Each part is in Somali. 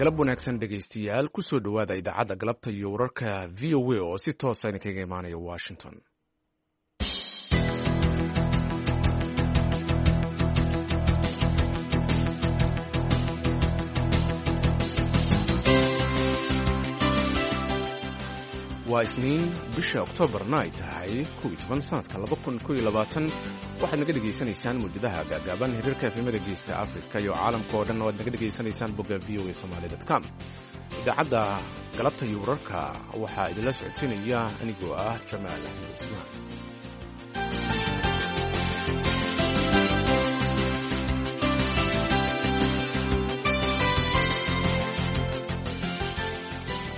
Galab wanaagsan, dhegaystayaal. Kusoo dhowaada idaacadda galabta iyo wararka VOA oo si toosa idinkaga imaanaya Washington. Waa Isniin, bisha Oktoobarna ay tahay 11, sanadka 2021. Waxaad naga dhegaysanaysaan mawjadaha gaagaaban, hirarka FM-yada Geeska Afrika iyo caalamka oo dhan oo aad naga dhegaysanaysaan bogga voasomali.com. Idaacadda galabta iyo wararka waxaa idinla socodsiinaya anigoo ah Jamaal Axmed Cusmaan.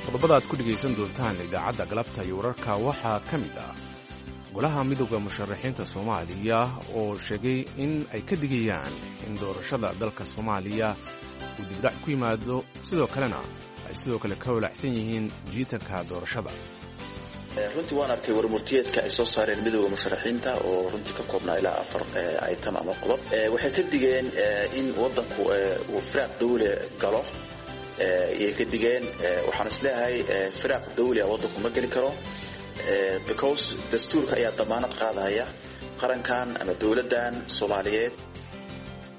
Qodobada aad ku dhegaysan doontaan idaacadda galabta iyo wararka waxaa ka mid ah Golaha Midooda Musharaxiinta Soomaaliya oo sheegay in ay ka digayaan in doorashada dalka Soomaaliya uu dibdhac ku yimaado, sidoo kalena ay sidoo kale ka walaacsan yihiin jiitanka doorashada. Runtii waan arkay warmurtiyeedka ay soo saareen Midooda Musharaxiinta oo runtii ka koobnaa ilaa afar item ama qodob. Waxay ka digeen in wadanku uu firaaq dawle galo ayay ka digeen. Waxaan isleeyahay firaaq dawli a wadanku ma geli karo, because dastuurka ayaa damaanad qaadaya qarankan ama dowladdan Soomaaliyeed.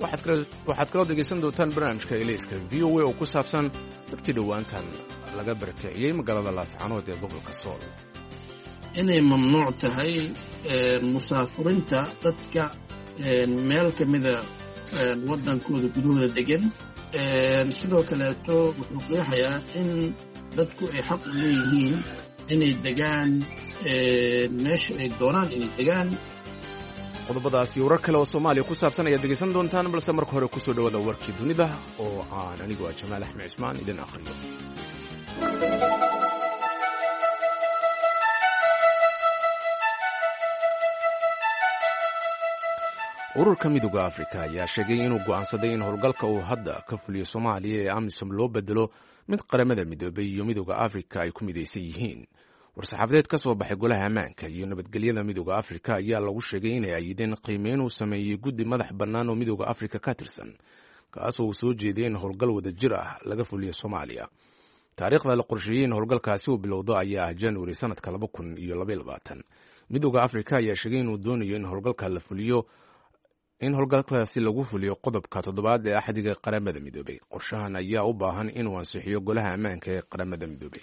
Waxaad kaloo dhegaysan doontaan barnaamijka Elayska VOA oo ku saabsan dadkii dhowaantan laga barakiciyey magaalada Laascanood ee gobolka Sool. Inay mamnuuc tahay musaafurinta dadka meel ka mida waddankooda gudahooda degan. Sidoo kaleeto wuxuu qeexayaa in dadku ay xaq u leeyihiin inay degaan meesha ay doonaan inay degaan. Qodobadaasi warar kale oo Soomaaliya ku saabsan ayaad dhegaysan doontaan, balse marka hore kusoo dhawaada warkii dunida oo aan anigu ah Jamaal Axmed Cusmaan idin akhriyo. Ururka Midooda Afrika ayaa sheegay inuu go'aansaday in howlgalka uu hadda ka fuliyo Soomaaliya ee AMISOM loo bedelo mid Qaramada Midoobay iyo Midooda Afrika ay ku midaysan yihiin. War-saxaafadeed ka soo baxay Golaha Ammaanka iyo Nabadgelyada Midooda Afrika ayaa lagu sheegay inay ayideen qiimeyn uu sameeyey guddi madax bannaan oo Midooda Afrika ka tirsan, kaasoo uu soo jeediyey in howlgal wadajir ah laga fuliyo Soomaaliya. Taariikhda la qorsheeyey in howlgalkaasi uu bilowdo ayaa ah Januari sanadka 2022. Midooda Afrika ayaa sheegay inuu doonayo in howlgalka la fuliyo, in howlgalkaasi lagu fuliyo qodobka toddobaad ee Axdiga Qaramada Midoobay. Qorshahan ayaa u baahan inuu ansixiyo Golaha Ammaanka ee Qaramada Midoobay.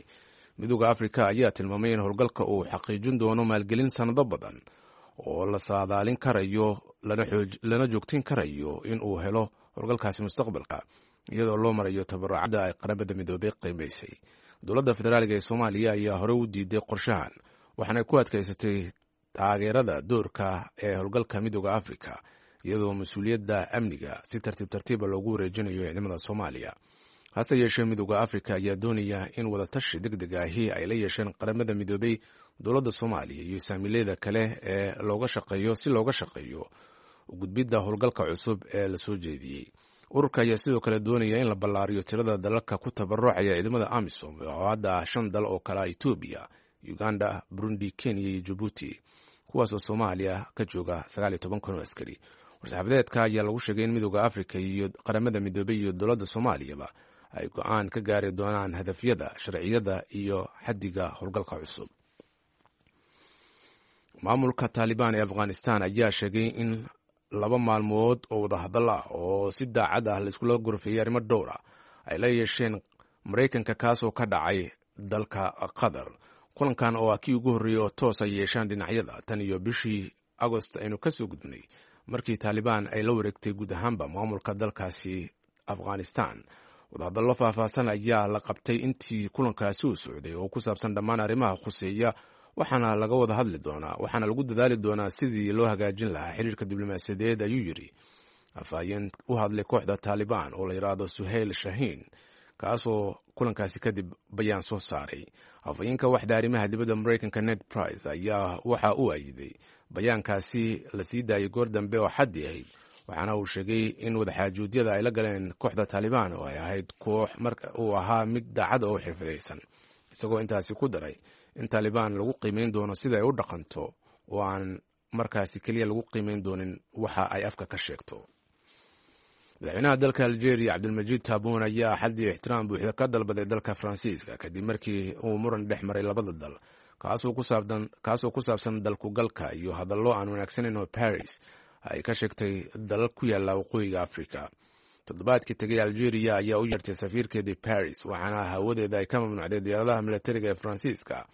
Midooda Afrika ayaa tilmaamay in howlgalka uu xaqiijin doono maalgelin sannado badan oo la saadaalin karayo, lana joogtin karayo in uu helo howlgalkaasi mustaqbalka, iyadoo loo marayo tabarucadda ay Qaramada Midoobay qiimaysay. Dowladda federaaliga ee Soomaaliya ayaa horey u diiday qorshahan, waxaana ku adkaysatay taageerada doorka ee howlgalka Midooda Afrika, iyadoo mas-uuliyadda amniga si tartiib tartiiba loogu wareejinayo ciidamada Soomaaliya. Hase yeeshee, Midooda Afrika ayaa doonaya in wadatashi deg deg ahi ay la yeesheen Qaramada Midoobay, dowladda Soomaaliya iyo saamiileyda kale ee looga shaqeeyo, si looga shaqeeyo gudbidda howlgalka cusub ee la soo jeediyey. Ururka ayaa sidoo kale doonaya in la ballaariyo tirada dalalka ku tabarucaya ciidamada AMISOM oo hadda ah shan dal oo kale ah Etoobiya, Uganda, Burundi, Kenya iyo Jabuuti, kuwaasoo Soomaaliya ka jooga 19,000 oo askari. War-saxaafadeedka ayaa lagu sheegay in Midooda Afrika iyo Qaramada Midoobey iyo dowladda Soomaaliyaba ay go-aan ka gaari doonaan hadafyada, sharciyada iyo xaddiga howlgalka cusub. Maamulka Taalibaan ee Afghanistan ayaa sheegay in 2 maalmood oo wadahadal ah oo si daacad ah laiskula gorfeeyey arrimo dhowr ah ay la yeesheen Maraykanka, kaasoo ka dhacay dalka Qatar. Kulankan oo ah kii ugu horreeyey oo toos ay yeeshaan dhinacyada tan iyo bishii Agost aynu ka soo gudbnay, markii Taalibaan ay la wareegtay guud ahaanba maamulka dalkaasi Afghanistan. Wadahadallo faahfaahsan ayaa la qabtay intii kulankaasi uu socday oo ku saabsan dhammaan arrimaha khuseeya, waxaana laga wada hadli doonaa, waxaana lagu dadaali doonaa sidii loo hagaajin lahaa xiriirka diblomaasiyadeed, ayuu yidhi afhayeen u hadlay kooxda Taalibaan oo la yidhaahdo Suhayl Shahiin, kaasoo kulankaasi kadib bayaan soo saaray. Afhayeenka waxda arrimaha dibadda Maraykanka Ned Price ayaa waxa uu ayiday bayaankaasi la sii daayay goor dambe oo xaddi ahayd, waxaana uu sheegay in wadaxaajuudyada ay la galeen kooxda Taalibaan oo ay ahayd koox marka uu ahaa mid daacad oo xirfadaysan, isagoo intaasi ku daray in Taalibaan lagu qiimeyn doono sida ay u dhaqanto oo aan markaasi keliya lagu qiimeyn doonin waxa ay afka ka sheegto. Madaxweynaha dalka Algeria Cabdilmajiid Taabuun ayaa xaddii ixtiraam buuxda ka dalbaday dalka Faransiiska kadib markii uu muran dhex maray labada dal, kaasoo ku saabsan dalkugalka iyo hadallo aan wanaagsanayn oo Paris ay ka sheegtay dalal ku yaalla waqooyiga Africa. Toddobaadkii tegay, Algeria ayaa u yeertay safiirkeedii Paris, waxaana hawadeeda ay ka mamnuucday diyaaradaha milatariga ee Faransiiska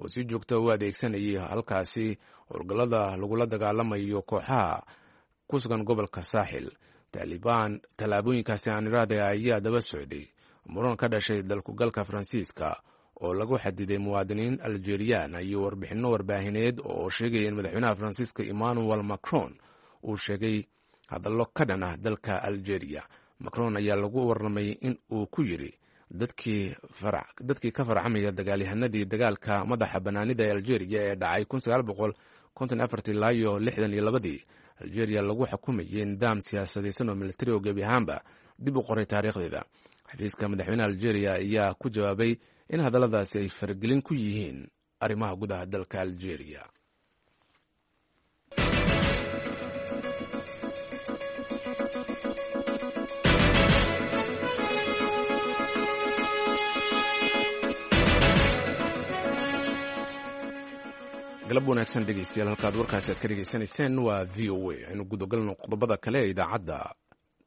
oo si joogta u adeegsanayay halkaasi howlgallada lagula dagaalamayo kooxaha ku sugan gobolka Saaxil. Taalibaan tallaabooyinkaasi aan iraahday ayaa daba socday muran ka dhashay dalkugalka Faransiiska oo lagu xadiday muwaadiniin Aljeriyaan iyo warbixinno warbaahineed oo sheegaya in madaxweynaha Faransiiska Emmanuel Macron uu sheegay hadallo ka dhan ah dalka Algeria. Macron ayaa lagu warramay in uu ku yidhi dadkii ka farcamaya dagaalyahanadii dagaalka madaxa bannaanida ee Algeria ee dhacay ilaa iyo 62-dii, Algeria lagu xukumayay nidaam siyaasadaysan oo militari oo gebi ahaanba dib u qoray taariikhdeeda. Xafiiska madaxweynaha Algeria ayaa ku jawaabay in hadalladaasi ay faragelin ku yihiin arrimaha gudaha dalka Algeria. Galab wanaagsan dhegeystayaal, halkaad warkaasi aad ka dhegeysanayseen waa VOA. Aynu gudagalno qodobada kale ee idaacadda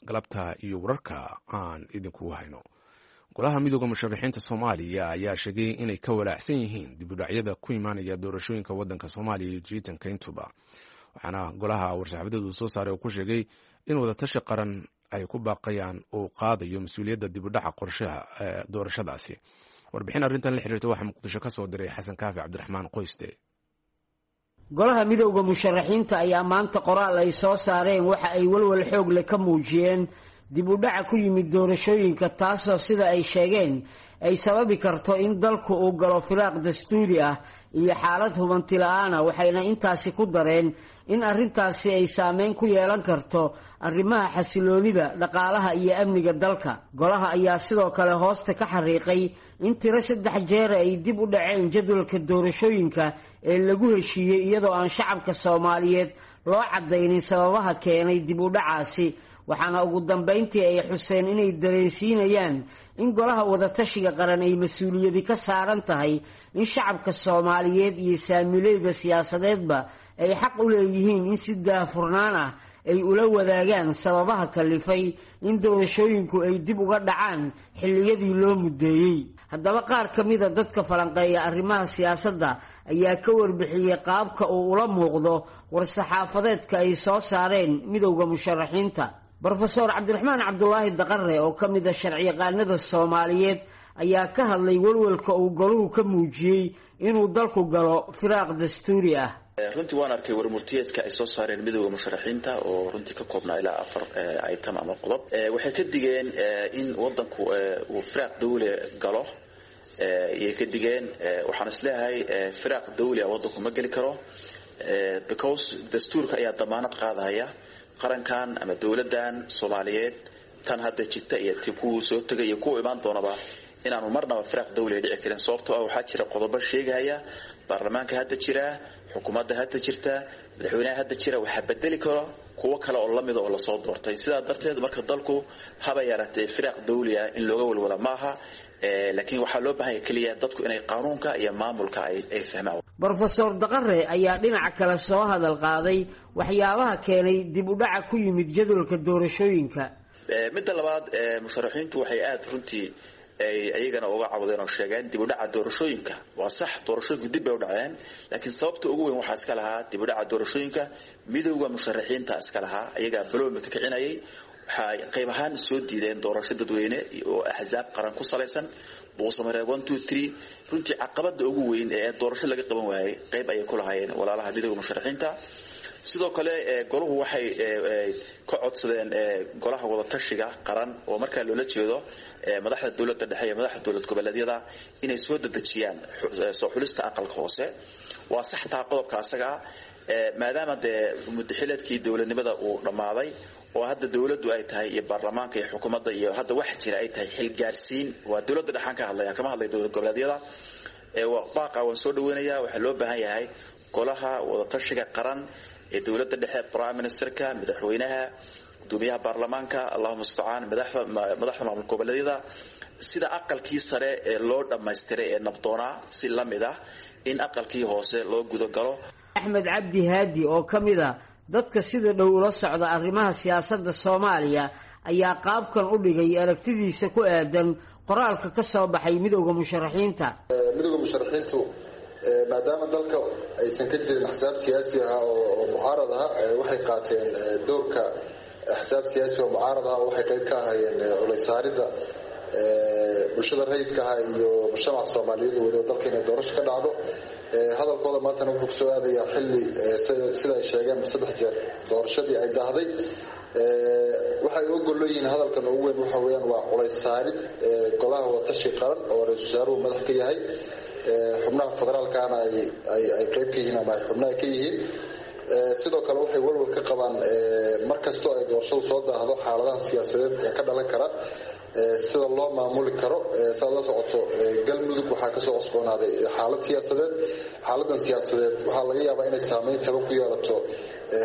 galabta iyo wararka aan idinku hayno. Golaha Midooda Musharaxiinta Soomaaliya ayaa sheegay inay ka walaacsan yihiin dibudhacyada ku imaanaya doorashooyinka waddanka Soomaaliya iyo jiitanka intuba, waxaana golaha war-saxaafadeed uu soo saaray oo ku sheegay in wadatashi qaran ay ku baaqayaan uu qaadayo mas-uuliyadda dibudhaca qorshaha doorashadaasi. Warbixin arrintan la xiriirta waxaa Muqdisho ka soo diray Xasan Kaafi Cabdiraxmaan Qoyste. Golaha Midowda Musharaxiinta ayaa maanta qoraal ay soo saareen waxa ay walwal xoog leh ka muujiyeen dib u dhaca ku yimid doorashooyinka, taasoo sida ay sheegeen ay sababi karto in dalku uu galo firaaq dastuuri ah iyo xaalad hubanti la-aana. Waxayna intaasi ku dareen in arrintaasi ay saameyn ku yeelan karto arrimaha xasiloonida dhaqaalaha iyo amniga dalka. Golaha ayaa sidoo kale hoosta ka xariiqay in tiro 3 jeer ay dib u dhaceen jadwalka doorashooyinka ee lagu heshiiyey, iyadoo aan shacabka Soomaaliyeed loo cadaynin sababaha keenay dib u dhacaasi. Waxaana ugu dambayntii ay xuseen inay dareensiinayaan in golaha wadatashiga qaran ay mas-uuliyadi ka saaran tahay in shacabka Soomaaliyeed iyo saamileyda siyaasadeedba ay xaq u leeyihiin in si daahfurnaan ah ay ula wadaagaan sababaha kalifay in doorashooyinku ay dib uga dhacaan xilliyadii loo muddeeyey. Haddaba, qaar ka mida dadka falanqeeya arrimaha siyaasadda ayaa ka warbixiyey qaabka uu ula muuqdo war-saxaafadeedka ay soo saareen Midowda Musharaxiinta. Brofeor Cabdiraxmaan Cabdulaahi Daqare oo ka mid a sharciyaqaanada Soomaaliyeed ayaa ka hadlay walwalka uu goluhu ka muujiyey inuu dalku galo firaaq dastuuri ah. Runtii waan arkay warmurtiyeedka ay soo saareen Midooda Musharaxiinta oo runtii ka koobnaa ilaa 4 item ama qodob. Waxay ka digeen in wadanku uu firaaq dawle galo ayay ka digeen. Waxaan isleeyahay firaaq dawli ah wadanku ma geli karo, because dastuurka ayaa damaanad qaadaya qarankan ama dowladan Soomaaliyeed, tan hadda jirta iyo ti kuwii soo tegay iyo kuwa imaan doonaba, inaanu marnaba firaaq dawli dhici karin, sababtoo ah waxaa jira qodobo sheegaya baarlamaanka hadda jira, xukuumadda hadda jirta, madaxweynaha hadda jira waxaa bedeli karo kuwo kale oo lamida oo lasoo doortay. Sidaa darteed marka dalku haba yaraatee firaaq dawli ah in looga walwala maaha, laakiin waxaa loo baahanya keliya dadku inay qaanuunka iyo maamulka ay fahmaan. Brofeor Daqare ayaa dhinaca kale soo hadal qaaday waxyaabaha keenay dib u dhaca ku yimid jadwalka doorashooyinka. Midda labaad, musharaxiintu waxay aada runtii ay iyagana uga cawdeen oo sheegeen dib u dhaca doorashooyinka. Waa sax, doorashooyinku dib bay u dhaceen, laakiin sababta ugu weyn waxaa iska lahaa dib u dhaca doorashooyinka Midowda Musharaxiinta iska lahaa. Iyagaa baloomi ka kicinayay. Waxay qayb ahaan soo diideen doorasho dadweyne oo axsaab qaran ku salaysan, Buusamareeb 1 2 3. Runtii caqabada ugu weyn ee doorasho laga qaban waayay qayb ayay ku lahaayeen walaalaha Midowda Musharaxiinta. Sidoo kale golahu waxay ka codsadeen golaha wadatashiga qaran, oo markaa loola jeedo madaxda dowladda dhexe iyo madaxda dowlad goboleedyada, inay soo dedejiyaan soo xulista aqalka hoose. Waa sax taa qodobka asagaa, maadaama dee muddaxileedkii dowladnimada uu dhammaaday oo hadda dowladdu ay tahay iyo baarlamaanka iyo xukuumadda iyo hadda wax jira ay tahay xilgaarsiin. Waa dowladda dhexaan ka hadlaya, kama hadlay dowlad goboleedyada. Baaqa waan soo dhaweynayaa. Waxaa loo baahan yahay golaha wadatashiga qaran ee dowladda dhexe, prime ministerka, madaxweynaha, Gudoomiyaha baarlamaanka, allahuma mustacaan, madaxda maamul goboleedyada, sida aqalkii sare ee loo dhammaystiray ee nabdoonaa si la mid ah in aqalkii hoose loo gudagalo. Axmed Cabdi Haadi oo ka mid a dadka sida dhow ula socda arrimaha siyaasadda Soomaaliya ayaa qaabkan u dhigay aragtidiisa ku aadan qoraalka ka soo baxay midowda musharaxiinta. Midowda musharaxiintu maadaama dalka aysan ka jirin axsaab siyaasi ah oo mucaarad ah, waxay qaateen doorka axsaab siyaasi oo mucaarad ah oo waxay qayb ka ahaayeen culaysaaridda bulshada rayidka ah iyo mujtamaca Soomaaliyeed wada dalka inay doorasho ka dhacdo. Hadalkooda maantana wuxuu kusoo aadayaa xilli sida ay sheegeen 3 jeer doorashadii ay daahday. Waxay uga golloyihiin hadalkan ugu weyn waxa weeyaan waa culays saarid golaha watashi qaran oo ra-iisul wasaaruhu madax ka yahay, xubnaha federaalkana ay qayb ka yihiin ama ay xubnaha ka yihiin. Sidoo kale waxay walwal ka qabaan mar kastoo ay doorashadu soo daahdo xaaladaha siyaasadeed ee ka dhalan kara sida loo maamuli karo. Saad la socoto Galmudug waxaa kasoo cusboonaaday xaalad siyaasadeed. Xaaladan siyaasadeed waxaa laga yaabaa inay saameyn taban ku yeelato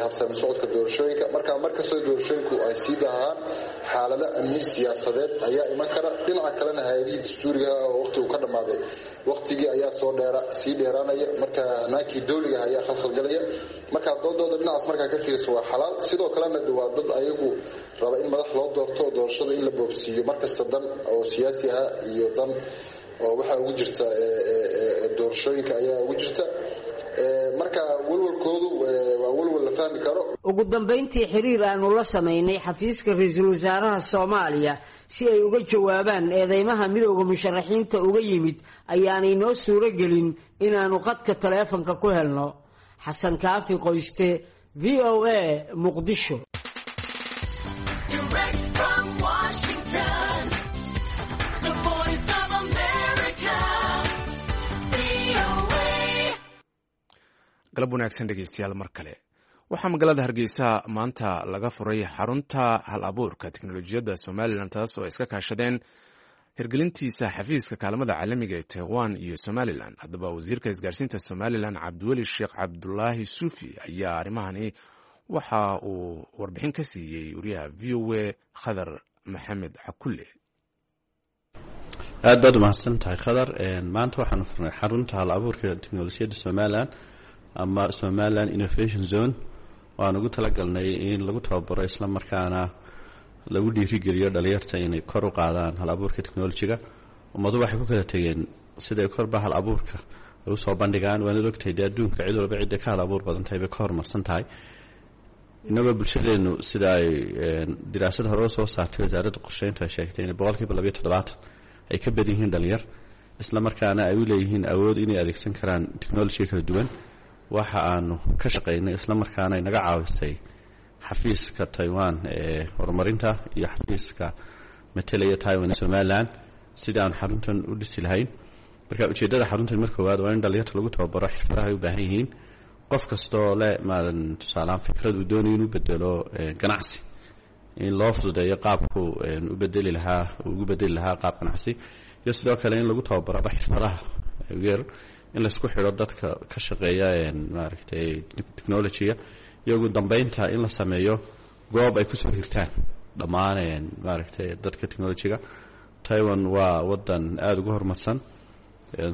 habsami socodka doorashooyinka. Marka markastoo doorashooyinku ay sii daahaan xaalado amni siyaasadeed ayaa iman kara. Dhinaca kalena hay-adihii dastuuriga oo waqtigu ka dhammaaday waqtigii ayaa soo dheera sii dheeraanaya, marka hanaankii dowliga ayaa khalkhalgalaya. Marka doodooda dhinacaas markaa ka fiirso waa xalaal. Sidoo kalena waa dad ayagu raba in madax loo doorto oo doorashada in la boobsiiyo markasta dan oo siyaasi ah iyo dan oo waxaa ugu jirta doorashooyinka ayaa ugu jirta. Marka walwalkoodu waa walwal la fahmi karo. Ugu dambayntii xiriir aanu la samaynay xafiiska ra-iisul wasaaraha Soomaaliya si ay uga jawaabaan eedeymaha midowda musharaxiinta uga yimid ayaanay noo suuro gelin inaanu qadka taleefanka ku helno. Xasan Kaafi Qoyste, VOA, Muqdisho. Galab wanaagsan dhegeystayaal mar kale. Waxaa magaalada Hargeysa maanta laga furay xarunta hal abuurka teknolojiyadda Somalilan, taas oo ay iska kaashadeen hirgelintiisa xafiiska kaalmada caalamiga ee Taiwan iyo Somalilan. Haddaba wasiirka isgaarsiinta Somalilan Cabdiweli Sheekh Cabdulaahi Suufi ayaa arrimahani waxa uu warbixin ka siiyey wariyaha VOA Khadar Maxamed Cakulle. Aad baad umahadsan tahay, Khadar. Maanta waxaanu furnay xarunta hal abuurka teknolojiyadda Somalilan ama Somaliland Innovation Zone. Waan ugu talagalnay in lagu tababaro isla markaana lagu dhiirigeliyo dhalinyarta inay kor u qaadaan hal abuurka technolojiga. Ummadu waxay ku kala tegeen siday korba hal abuurka ay usoo bandhigaan. Waanad ogtahay dee adduunka cid walba cidda ka hal abuur badan tahay bay ka horumarsan tahay. Inagoo bulshadeenu sida ay diraasad hore soo saartay wasaaradda qorsheyntu ay sheegtay inay 72% ay ka badan yihiin dhalinyar, isla markaana ay u leeyihiin awood inay adeegsan karaan technolojiga kala duwan. Waxa aanu ka shaqaynay isla markaana ay naga caawisay xafiiska Taiwan ee horumarinta iyo xafiiska matelaya Taiwan ee Somalilan sidii aanu xaruntan u dhisi lahayn. Marka ujeeddada xaruntan mar koowaad waa in dhalinyarta lagu tababaro xirfadaha ay u baahan yihiin. Qof kastoo le maadan tusaalehaan fikrad uu doonayo inuu bedelo ganacsi, in loo fududeeyo qaabku u bedeli lahaa, ugu bedeli lahaa qaab ganacsi, iyo sidoo kale in lagu tababaraba xirfadaha yeer, in laisku xidho dadka ka shaqeeya maaragtay technology-ga, iyo ugu dambeynta in la sameeyo goob ay kusoo hirtaan dhammaan maaragtay dadka technology-ga. Taiwan waa wadan aada ugu horumarsan,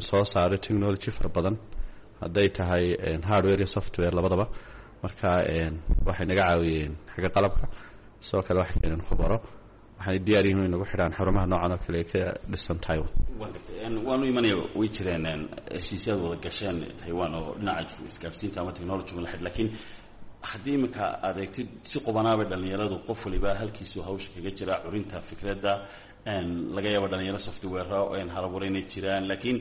soo saaray technology fara badan, hadday tahay hardware iyo software labadaba. Marka waxay naga caawiyeen xagga qalabka, sidoo kale waxay keeneen khubaro, waxaanay diyaar yihiin inay nagu xidhaan xarumaha noocan oo kale ee ka dhisan Taiwan. Waanu imanaya. Way jireen heshiisyaad wada gasheen Taiwan oo dhinaca isgaarsiinta ama technology la xidh, laakiin haddii iminka aad eegtid si qubanaabay dhalinyaradu qof waliba halkiisuu hawsha kaga jira curinta fikradda. Laga yaabo dhalinyaro software halabuura inay jiraan, laakiin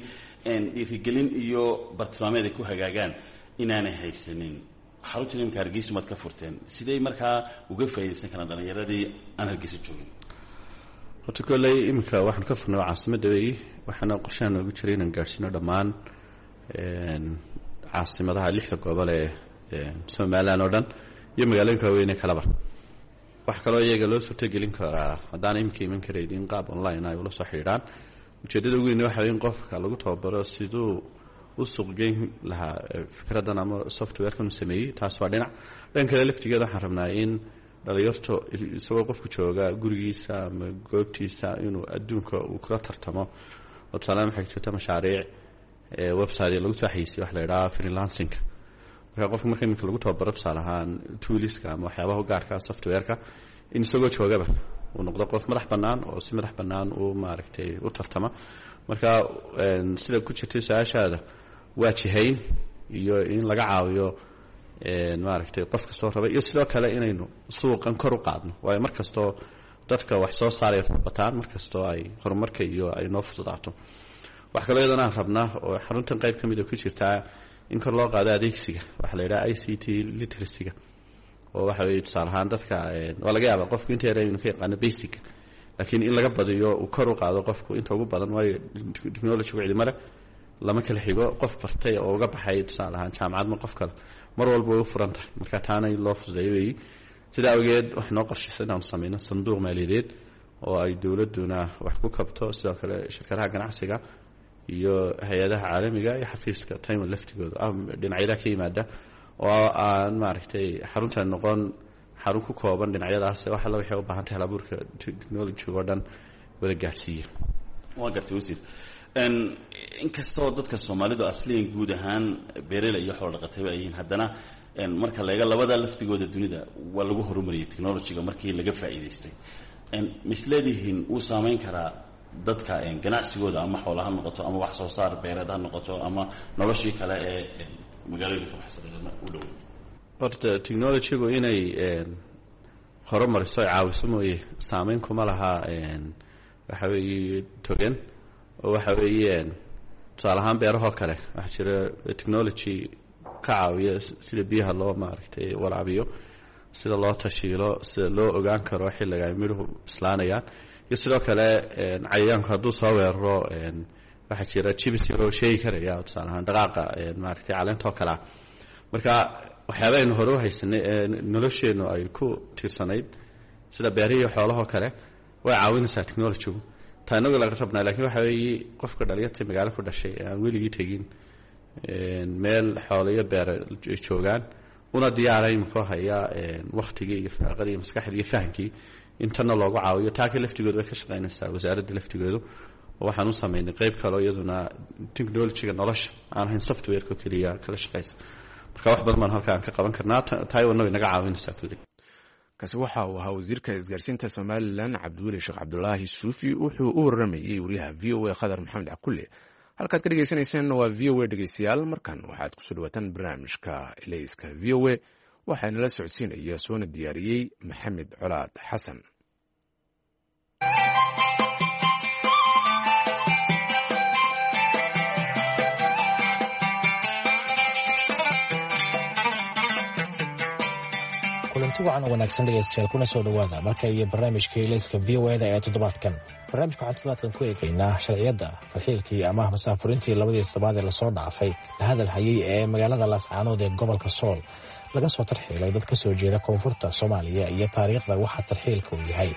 dhiirigelin iyo bartilmaameed ay ku hagaagaan inaanay haysanin. Xaruntan iminka Hargeysa maad ka furteen, sidey markaa uga faaidaysan karaan dhalinyaradii aan Hargeysa joogin? Horta kolley iminka waxaanu ka furnay waa caasimadda weeyi, waxaana qorshaha noogu jiray inaan gaadhsiino dhammaan caasimadaha lixda gobol ee Somalilan oo dhan iyo magaalooyinka waaweyne kaleba. Wax kaloo iyaga loo suurtogelin karaa haddaan iminka iman karayn in qaab online ay ula soo xidhiidhaan. Ujeeddada ugu weyne waxa wey in qofka lagu tababaro siduu u suuqgeyn lahaa fikraddan ama softwarekan u sameeyey. Taas waa dhinac. Dhan kale laftigeeda waxaan rabnaa in Dhalinyarto isagoo qofku jooga gurigiisa ama goobtiisa inuu adduunka uu kula tartamo. Oo tusaalehaan waxay jirta mashaariic website lagu soo xayisiyo, waxa la yidhaha freelancingka. Marka qofka marka iminka lagu tababaro, tusaale ahaan, tooliska ama waxyaabaha u gaarka softwareka, in isagoo joogaba uu noqdo qof madax bannaan oo si madax bannaan u maaragtay u tartama. Marka sida ku jirtay su-aashaada, waa jihayn iyo in laga caawiyo maaragtay qof kastoo raba, iyo sidoo kale inaynu suuqan kor u qaadno, waayo mar kastoo dadka wax soo saaraya bataan, mar kastoo ay horumarka iyo ay noo fududaato. Wax kaloo iyadana aan rabnaa oo xaruntan qayb ka mida ku jirtaa, in kor loo qaado adeegsiga waxaa la yidhaha ICT literacyga, oo waxa weye tusaale ahaan dadka waa laga yaabaa qofku inta yara inuu ka yaqaano basic, laakiin in laga badiyo, uu kor u qaado qofku inta ugu badan, waayo technologygu cidima leh, lama kala xigo. Qof bartay oo uga baxay tusaale ahaan jaamacad ma qof kale, mar walba way u furan tahay. Marka taana in loo fududeeyo weeyi. Sidaa awgeed waxay noo qorshaysa inaanu sameyno sanduuq maaliyadeed oo ay dowladduna wax ku kabto, sidoo kale shirkadaha ganacsiga iyo hay-adaha caalamiga iyo xafiiska Taiwan laftigooda dhinacyada ka yimaada, oo aan maaragtay xaruntan noqon xarun ku kooban dhinacyadaas. Wax alla waxay u baahan tahay halabuurka technology oo dhan wada gaadhsiiya. Waa gartay, wasiir. Inkastoo dadka Soomaalidu asliyan guud ahaan beerela iyo xoolo dhaqatayba ay yihiin, haddana marka la eego labada laftigooda dunida waa lagu horumariyay technologyga markii laga faa'iidaystay. Misleedihiin wuu saameyn karaa dadka ganacsigooda, ama xoola ha noqoto ama wax soo saar beereed ha noqoto ama noloshii kale ee magaalooyinka ka baxsaday u dhoweyd? Horta technologygu inay horumariso ay caawiso mooye, saameyn kuma laha. Waxa weeye togan oo waxa weeye tusaale ahaan beerahoo kale waxaa jira technology ka caawiya sida biyaha loo maaragtay waraabiyo, sida loo tashiilo, sida loo ogaan karo xilliga ay midhuhu bislaanayaan, iyo sidoo kale cayayaanku hadduu soo weeraro waxaa jira jibis yaroo sheegi karaya tusaale ahaan dhaqaaqa maaragtay caleenta oo kalea. Marka waxyaaba aynu hore u haysanay ee nolosheennu ay ku tiirsanayd, sida beerihii xoolahoo kale, way caawinaysaa technologygu. Taa inagu laga rabnaa lakiin waxa weeye qofka dhalinyarta magaalo ku dhashay ee aan weligii tegin meel xoolo iyo beere ay joogaan, una diyaaray muxuu hayaa waktigii iyo firaaqadii iyo maskaxdii iyo fahamkii, intanna loogu caawiyo. Taaka laftigoodu way ka shaqaynaysaa wasaaradda laftigoodu, oo waxaan u samaynay qayb kaleo iyaduna technologyga nolosha aan ahayn softwareka keliya kala shaqaysa. Marka wax badan baan halka aan ka qaban karnaa, Taiwanna way naga caawinaysaa kulli. Kaasi waxa uu ahaa wasiirka isgaarsiinta Somalilan, Cabdiweli Sheekh Cabdulaahi Suufi. Wuxuu u waramayey wariyaha VOA Khadar Maxamed Cakulle. Halkaad ka dhegeysaneyseen waa VOA. Dhegeystayaal, markan waxaad kusoo dhawaataan barnaamijka Elayska VOA. Waxaa inala socodsiinaya soona diyaariyey Maxamed Colaad Xasan. Kulanti wacan oo wanaagsan dhegeystayaal, kuna soo dhowaada marka iyo barnaamijka Ilayska VOA da ee toddobaadkan. Barnaamijka waxaan toddobaadkan ku eegaynaa sharciyadda farxiilkii ama masaafurintii labadii toddobaad ee lasoo dhaafay la hadal hayay ee magaalada Laascaanood ee gobolka Sool laga soo tarxiilay dad ka soo jeeda koonfurta Soomaaliya, iyo taariikhda waxa tarxiilka uu yahay.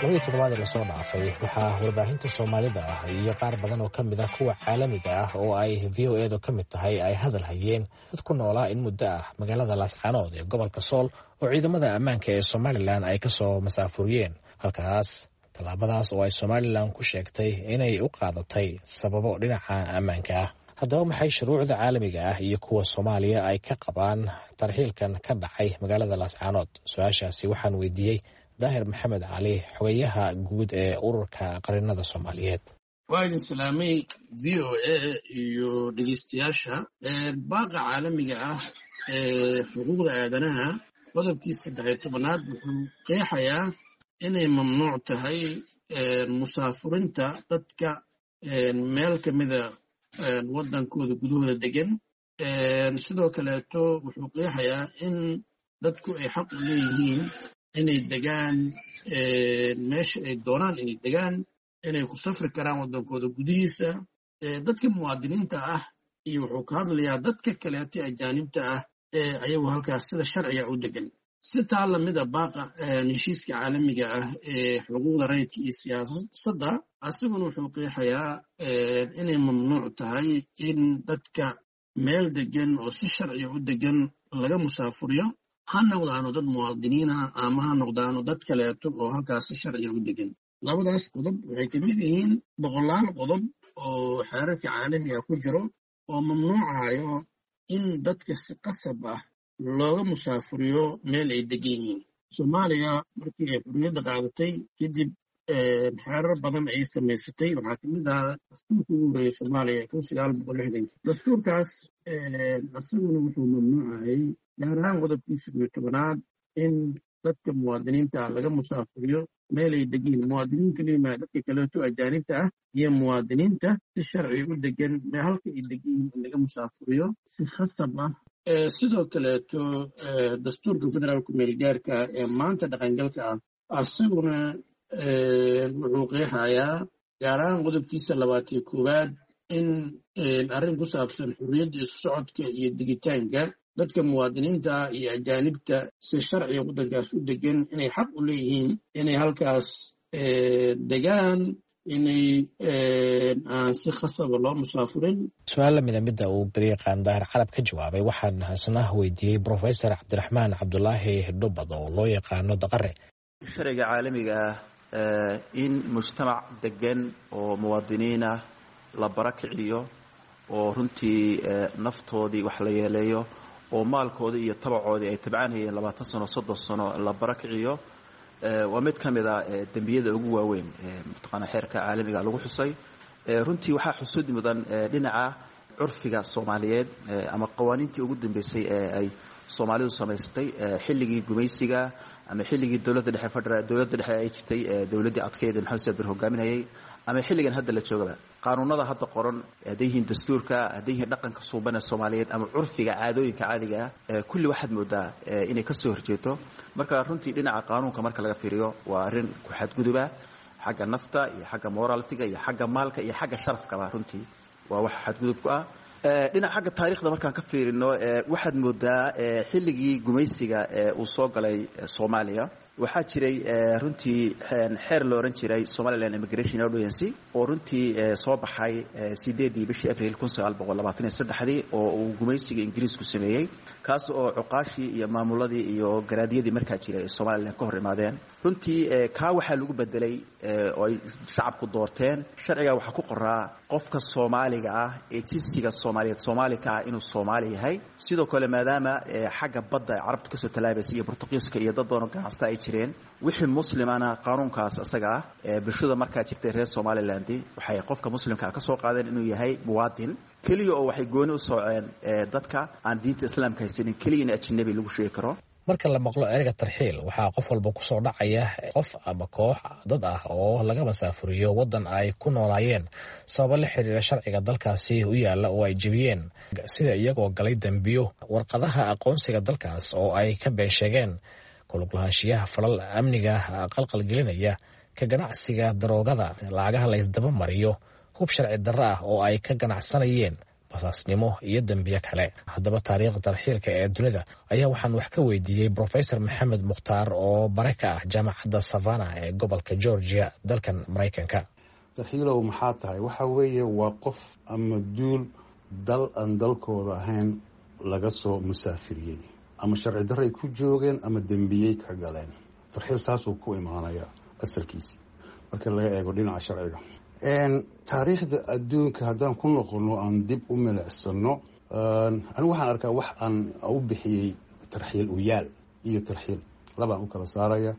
Labadii toddobaad ee lasoo dhaafay waxaa warbaahinta Soomaalida ah iyo qaar badan oo ka mid ah kuwa caalamiga ah oo ay VOA du ka mid tahay ay hadal hayeen dad ku noolaa in muddo ah magaalada Laascaanood ee gobolka Sool oo ciidamada ammaanka ee Somalilan ay kasoo masaafuriyeen halkaas, tallaabadaas oo ay Somalilan ku sheegtay inay u qaadatay sababo dhinaca ammaanka ah. Haddaba maxay shuruucda caalamiga ah iyo kuwa Soomaaliya ay ka qabaan tarxiilkan ka dhacay magaalada Laascaanood? Su-aashaasi waxaan weydiiyey Daahir Maxamed Cali, xogayaha guud ee Ururka Qarinada Soomaaliyeed. Waa idin salaamay VOA iyo dhegeystayaasha. Baaqa caalamiga ah ee xuquuqda aadanaha qodobkii 13aad wuxuu qeexayaa inay mamnuuc tahay musaafurinta dadka meel ka mida waddankooda gudahooda degan. Sidoo kaleeto wuxuu qeexayaa in dadku ay xaq u leeyihiin inay degaan meesha ay doonaan, inay degaan, inay ku safri karaan waddankooda gudihiisa. Dadka muwaadiniinta ah iyo wuxuu ka hadlayaa dadka kaleeto ajaanibta ah ee ayagu halkaas sida sharciga u degan. Si taa lamida baaqa heshiiska caalamiga ah ee xuquuqda rayidka iyo siyaasadda asiguna wuxuu qeexayaa inay mamnuuc tahay in dadka meel degan oo si sharciga u degan laga musaafuriyo, ha noqdaano dad muwaadiniina ama ha noqdaano dad kaleeto oo halkaas si sharciga u degan. Labadaas qodob waxay ka mid yihiin boqolaal qodob oo xeerarka caalamiga ku jiro oo mamnuucayo in dadka si qasab ah looga musaafuriyo meel ay degan yihiin. Soomaaliya markii ay xurriyadda qaadatay kadib xeerar badan ay samaysatay. Waxaa kamid ahaa dastuurka ugu horreeyey Soomaaliya 1960-kii. Dastuurkaas isaguna wuxuu mamnuucayay, gaar ahaan qodobkiisa 11-aad, in dadka muwaadiniinta ah laga musaafuriyo meel ay degan yihiin. Muwaadiniin kaliya maa, dadka kaleeto ajaanibta ah iyo muwaadiniinta si sharci u degan halka ay degan yihiin in laga musaafuriyo si khasab ah. Sidoo kaleeto dastuurka federaalku meelgaarka ee maanta dhaqangalka ah asaguna wuxuu qeexayaa, gaar ahaan qodobkiisa 21-aad, in arrin ku saabsan xurriyadda isu socodka iyo degitaanka dadka muwaadiniinta iyo ajaanibta si sharciga waddankaas u degan inay xaq u leeyihiin inay halkaas degaan, inay aan si khasaba loo musaafurin. Su-aal lamida midda uu garyaqaan Daahir Carab ka jawaabay waxaan hasna weydiiyey Brofesor Cabdiraxmaan Cabdulaahi Dhubad oo loo yaqaano Daqare. Sharciga caalamiga ah, in mujtamac degan oo muwaadiniin ah la barakiciyo oo runtii naftoodii wax la yeeleeyo oo maalkoodii iyo tabacoodii ay tabcaanhayeen 20 sano, 30 sano la barakiciyo, waa mid ka mid a dembiyada ugu waaweyn mataqaana xeerka caalamiga lagu xusay. Runtii waxaa xusud mudan dhinaca curfiga soomaaliyeed ama qawaaniintii ugu dambeysay ee ay soomaalidu samaysatay xilligii gumaysiga ama xilligii dowladda dhexe federal, dowladda dhexe ay jirtay, dowladdii adkeyd Maxamed Siyaad Barre hogaaminayay, ama xilligan hadda la joogaba, qaanuunada hadda qoran, hadday yihiin dastuurka, hadday yihiin dhaqanka suuban ee soomaaliyeed ama curfiga caadooyinka caadiga ah, kulli waxaad moodaa inay ka soo horjeeto. Marka runtii dhinaca qaanuunka marka laga fiiriyo, waa arrin ku xadguduba xagga nafta iyo xagga moraltiga iyo xagga maalka iyo xagga sharafkaba. Runtii waa wax xadgudub ku ah. Dhinaca xagga taarikhda markaan ka fiirino, waxaad moodaa xilligii gumaysiga uu soo galay Soomaaliya, waxaa jiray runtii xeer la ohan jiray Somaliland Immigration Ordinance oo runtii soo baxay 8-dii bishii Abril 1923-dii oo uu gumaysiga Ingiriisku sameeyey, kaas oo cuqaashii iyo maamuladii iyo garaadyadii markaa jiray ee Somaliland ka hor imaadeen. Runtii kaa waxaa lagu bedelay oo ay shacabku doorteen sharciga waxaa ku qoraa qofka soomaaliga ah ee jinsiga soomaaliyeed soomaali ka ah inuu soomaali yahay. Sidoo kale, maadaama xagga badda ay carabtu kasoo tallaabaysa iyo Bortuqiiska iyo dad badan oo ganacsata ay jireen, wixii muslimana qaanuunkaas isaga ah bulshada markaa jirtay reer Somaliland waxay qofka muslimkaa ka soo qaadeen inuu yahay muwaadin keliya, oo waxay gooni u sooceen dadka aan diinta islaamka haysanin keliya in ajnabi lagu sheegi karo. Marka la maqlo ereyga tarxiil, waxaa qof walba kusoo dhacaya qof ama koox dad ah oo laga masaafuriyo waddan ay ku noolaayeen sababo la xiriira sharciga dalkaasi u yaalla oo ay jebiyeen, sida iyagoo galay dembiyo, warqadaha aqoonsiga dalkaas oo ay ka been sheegeen, kuluglahaanshiyaha falal amniga qalqalgelinaya, ka ganacsiga daroogada, lacagaha la ysdaba mariyo, hub sharci darro ah oo ay ka ganacsanayeen, basaasnimo iyo dembiyo kale. Haddaba, taariikhda tarxiilka ee dunida ayaa waxaan wax ka weydiiyey Brofesor Maxamed Mukhtaar oo bare ka ah jaamacadda Savannah ee gobolka Georgia, dalkan Maraykanka. Tarxiilow maxaa tahay? Waxa weeye waa qof ama duul dal aan dalkooda ahayn laga soo musaafiriyey, ama sharci darray ku joogeen ama dembiyey ka galeen. Tarxiil saasuu ku imaanaya asalkiisi marka laga eego dhinaca sharciga. Taariikhda adduunka haddaan ku noqono, aan dib u milicsano, anigu waxaan arkaa wax aan u bixiyey tarxiil uyaal iyo tarxiil. Labaan u kala saaraya.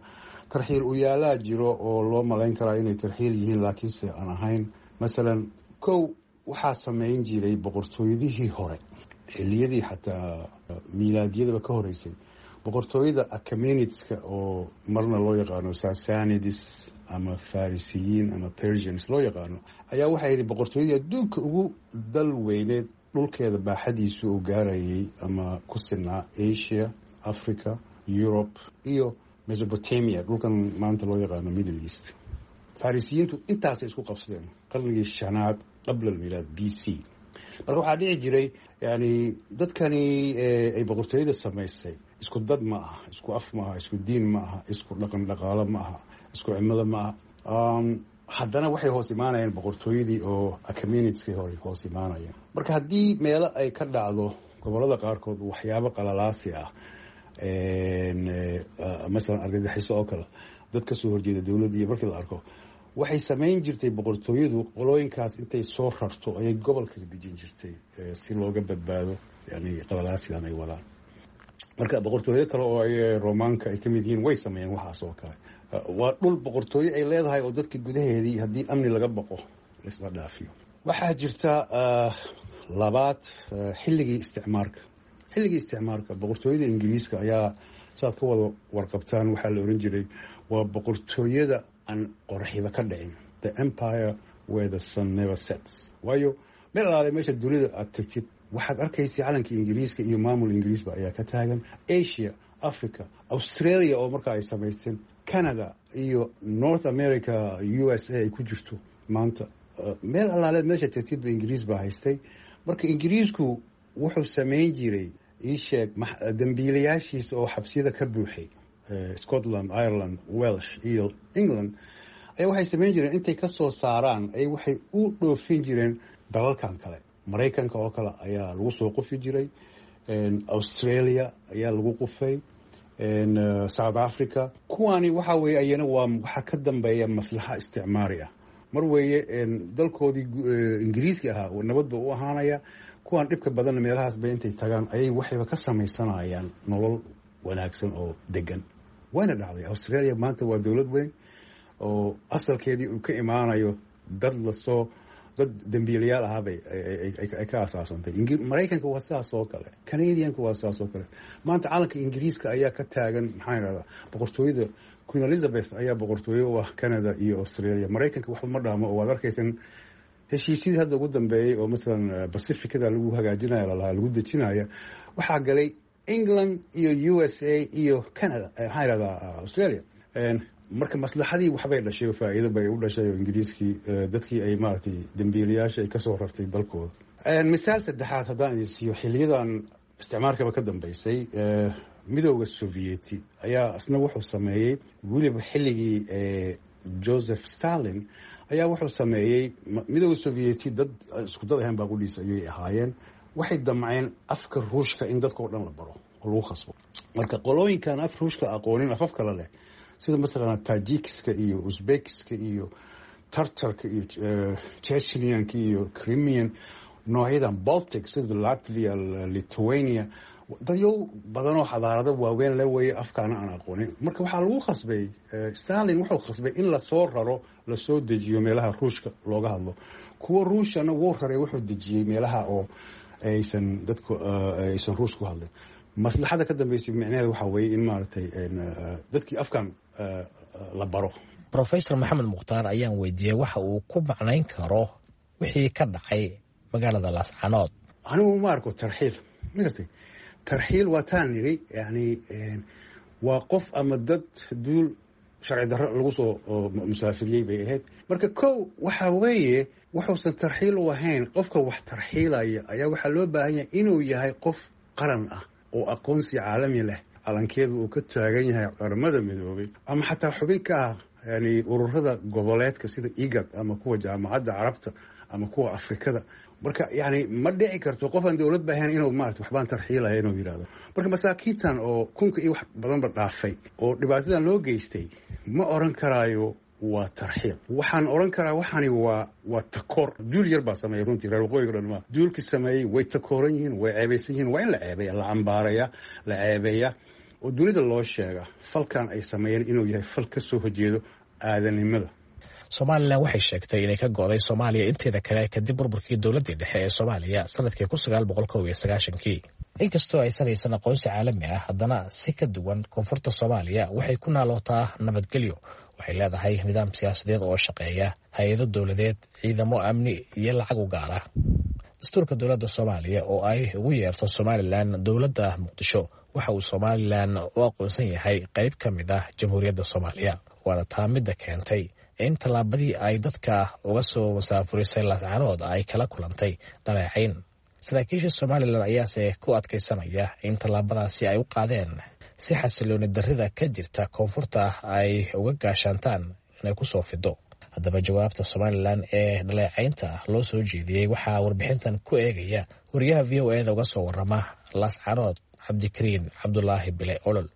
Tarxiil uyaalaa jiro oo loo malayn karaa inay tarxiil yihiin, laakiinse aan ahayn. Masalan, kow, waxaa sameyn jiray boqortooyadihii hore, xiliyadii xataa miilaadiyadaba ka horeysay, boqortooyada Achaemenidska oo marna loo yaqaano Sassanids ama Farisiyiin ama Persians loo yaqaano, ayaa waxay ahayd boqortooyadii adduunka ugu dal weyneed. Dhulkeeda baaxadiisu uu gaarayay ama ku sinaa Asia, Africa, Europe iyo Mesopotamia, dhulkan maanta loo yaqaano Middle East. Farisiyiintu intaasay isku qabsadeen qarnigii shanaad qabla almilaad, BC. Marka waxaa dhici jiray, yani, dadkani ay boqortooyada samaysay Isku dad ma aha, isku af ma aha, isku diin ma aha, isku dhaqan dhaqaalo ma aha, isku cimilo ma aha. Haddana waxay hoos imaanayeen boqortooyadii oo communitykii hore hoos imaanayeen. Marka haddii meelo ay ka dhacdo gobolada qaarkood waxyaabo qalalaasi ah, masalan argagixiso oo kale, dad kasoo horjeeda dowladda iyo markii la arko, waxay samayn jirtay boqortooyadu qolooyinkaas intay soo rarto ayay gobolka dejin jirtay si looga badbaado yani qalalaasigan ay wadaan. Marka boqortooyo kale oo ay Romaanka ay kamid yihiin way sameeyeen waxaas oo kale. Waa dhul boqortooyo ay leedahay oo dadka gudaheedii haddii amni laga baqo laisla dhaafiyo. Waxaa jirta labaad, xilligii isticmaarka. Xilligii isticmaarka boqortooyada Ingiriiska ayaa, saad ka wada warqabtaan, waxaa la oran jiray waa boqortooyada aan qoraxiba ka dhicin, the empire where the sun never sets. Waayo, meel alaale meesha dunida aad tagtid waxaad arkaysa calanka Ingiriiska iyo maamul Ingiriisba ayaa ka taagan. Asia, Africa, Australia oo markaa ay samaysteen, Canada iyo North America, USA ay ku jirto maanta, meel alaaleed meesha tagtidba Ingiriis baa haystay. Marka Ingiriisku wuxuu samayn jiray, ii sheeg, dambiilayaashiisa oo xabsiyada ka buuxay Scotland, Ireland, Welsh iyo England ayaa waxay samayn jireen intay ka soo saaraan ay waxay u dhoofin jireen dalalkan kale. Maraykanka oo kale ayaa lagu soo qufi jiray, Australia ayaa lagu qufay, South Africa. Kuwaani waxa weye ayana waa waxaa ka dambeeya maslaxa isticmaari ah. Mar weeye dalkoodii Ingiriiska ahaa nabad ba u ahaanaya, kuwaan dhibka badanna meelahaas bay intay tagaan ayay waxayba ka samaysanayaan nolol wanaagsan oo degan. Wayna dhacday. Australia maanta waa dowlad weyn oo asalkeedii uu ka imaanayo dad lasoo dad dambiilayaal ahaabay ay ka asaasantay. Maraykanka waa sidaas oo kale, Canadianka waa sidaas oo kale. Maanta calanka Ingiriiska ayaa ka taagan, maxaa irahdaa, boqortooyada Queen Elizabeth ayaa boqortooyo u ah Canada iyo Australia. Maraykanka waxba ma dhaamo oo waad arkaysan heshiisyadii hadda ugu dambeeyey oo masalan Pacificada lagu hagaajinayo, lalahaa lagu dejinaya, waxaa galay England iyo USA iyo Canada, maxaa irahdaa, Australia. Marka maslaxadii waxbay dhashay oo faa'iido bay u dhashay oo Ingiriiskii dadkii ay maaragtay dambiilayaasha ay kasoo rartay dalkooda. Misaal saddexaad haddaan idin siiyo, xiliyadan isticmaarkaba ka dambeysay, Midooda Sovieti ayaa isna wuxuu sameeyey, weliba xilligii Joseph Stalin ayaa wuxuu sameeyey, Midooda Sovieti dad isku dad ahayn baa qudhiisa ayay ahaayeen, waxay damceen afka Ruushka in dadka oo dhan la baro oo lagu khasbo. Marka qolooyinkan af Ruushka aqoonin, afaf kale leh, sida masalan Tajikiska iyo Uzbekiska iyo Tartarka iyo Chechnianka iyo Crimean, noocyadan Baltic sida Latvia, Lithuania, dadyow badanoo xadaarado waaweyn le weeye, afkaana aan aqoonin. Marka waxaa lagu khasbay, Stalin wuxuu khasbay in lasoo raro, lasoo dejiyo meelaha Ruushka looga hadlo. Kuwa Ruushana wuu raray, wuxuu dejiyey meelaha oo aysan dadku aysan Ruush ku hadlin. Maslaxada ka dambeysay micnaheeda waxaa weeye in maaragtay dadkii afkan la baro. Profesor Maxamed Mukhtaar ayaan weydiiyey waxa uu ku macnayn karo wixii ka dhacay magaalada Laascanood. Anigu ma arko tarxiil, ma gartay? Tarxiil waa taan niri, yani waa qof ama dad duul sharci darro lagu soo musaafiriyey bay ahayd. Marka kow waxa weeye wuxuusan tarxiil u ahayn, qofka wax tarxiilaya ayaa waxaa loo baahan yahay inuu yahay qof qaran ah oo aqoonsi caalami leh, calankeedu uu ka taagan yahay Qaramada Midoobay, ama xataa xubin ka ah yani ururada goboleedka sida IGAD ama kuwa Jaamacadda Carabta ama kuwa Afrikada. Marka yani ma dhici karto qof aan dowlad ba ahayn inuu maarata waxbaan tarxiilaya inuu yidhahdo. Marka masaakiintan oo kunka iyo wax badanba dhaafay oo dhibaatadan loo geystay ma oran karaayo waa tarxiil. Waxaan oran karaa waxani waa takoor. Duul yar baa sameeyey runtii, reer waqooyiga dhan ma duulkii sameeyey. Way takooran yihiin, way ceebaysan yihiin, waa in la ceebeeya, la cambaaraya, la ceebeeya oo dunida loo sheega falkan ay sameeyeen inuu yahay fal ka soo horjeedo aadanimada. Somalilan waxay sheegtay inay ka go'day Soomaaliya inteeda kale kadib burburkii dowladdii dhexe ee Soomaaliya sanadkii 1991-kii. Inkastoo aysan haysan aqoonsi caalami ah, haddana si ka duwan koonfurta Soomaaliya waxay ku naalootaa nabadgelyo. Waxay leedahay nidaam siyaasadeed oo shaqeeya, hay-ado dowladeed, ciidamo amni iyo lacag u gaar ah. Dastuurka dowladda Soomaaliya oo ay ugu yeerto Somalilan dowladda Muqdisho waxa uu Somalilan u aqoonsan yahay qayb ka mid ah Jamhuuriyadda Soomaaliya, waana taa midda keentay in tallaabadii ay dadka uga soo masaafurisay Laascanood ay kala kulantay dhaleecayn. Saraakiisha Somalilan ayaase ku adkaysanaya in tallaabadaasi ay u qaadeen si xasilooni darrida ka jirta koonfurta ay uga gaashaantaan inay ku soo fido. Haddaba, jawaabta Somalilan ee dhaleecaynta loo soo jeediyey waxaa warbixintan ku eegaya wariyaha VOA-da uga soo warama Laascanood, Cabdikariin Cabdulaahi Bile Olol.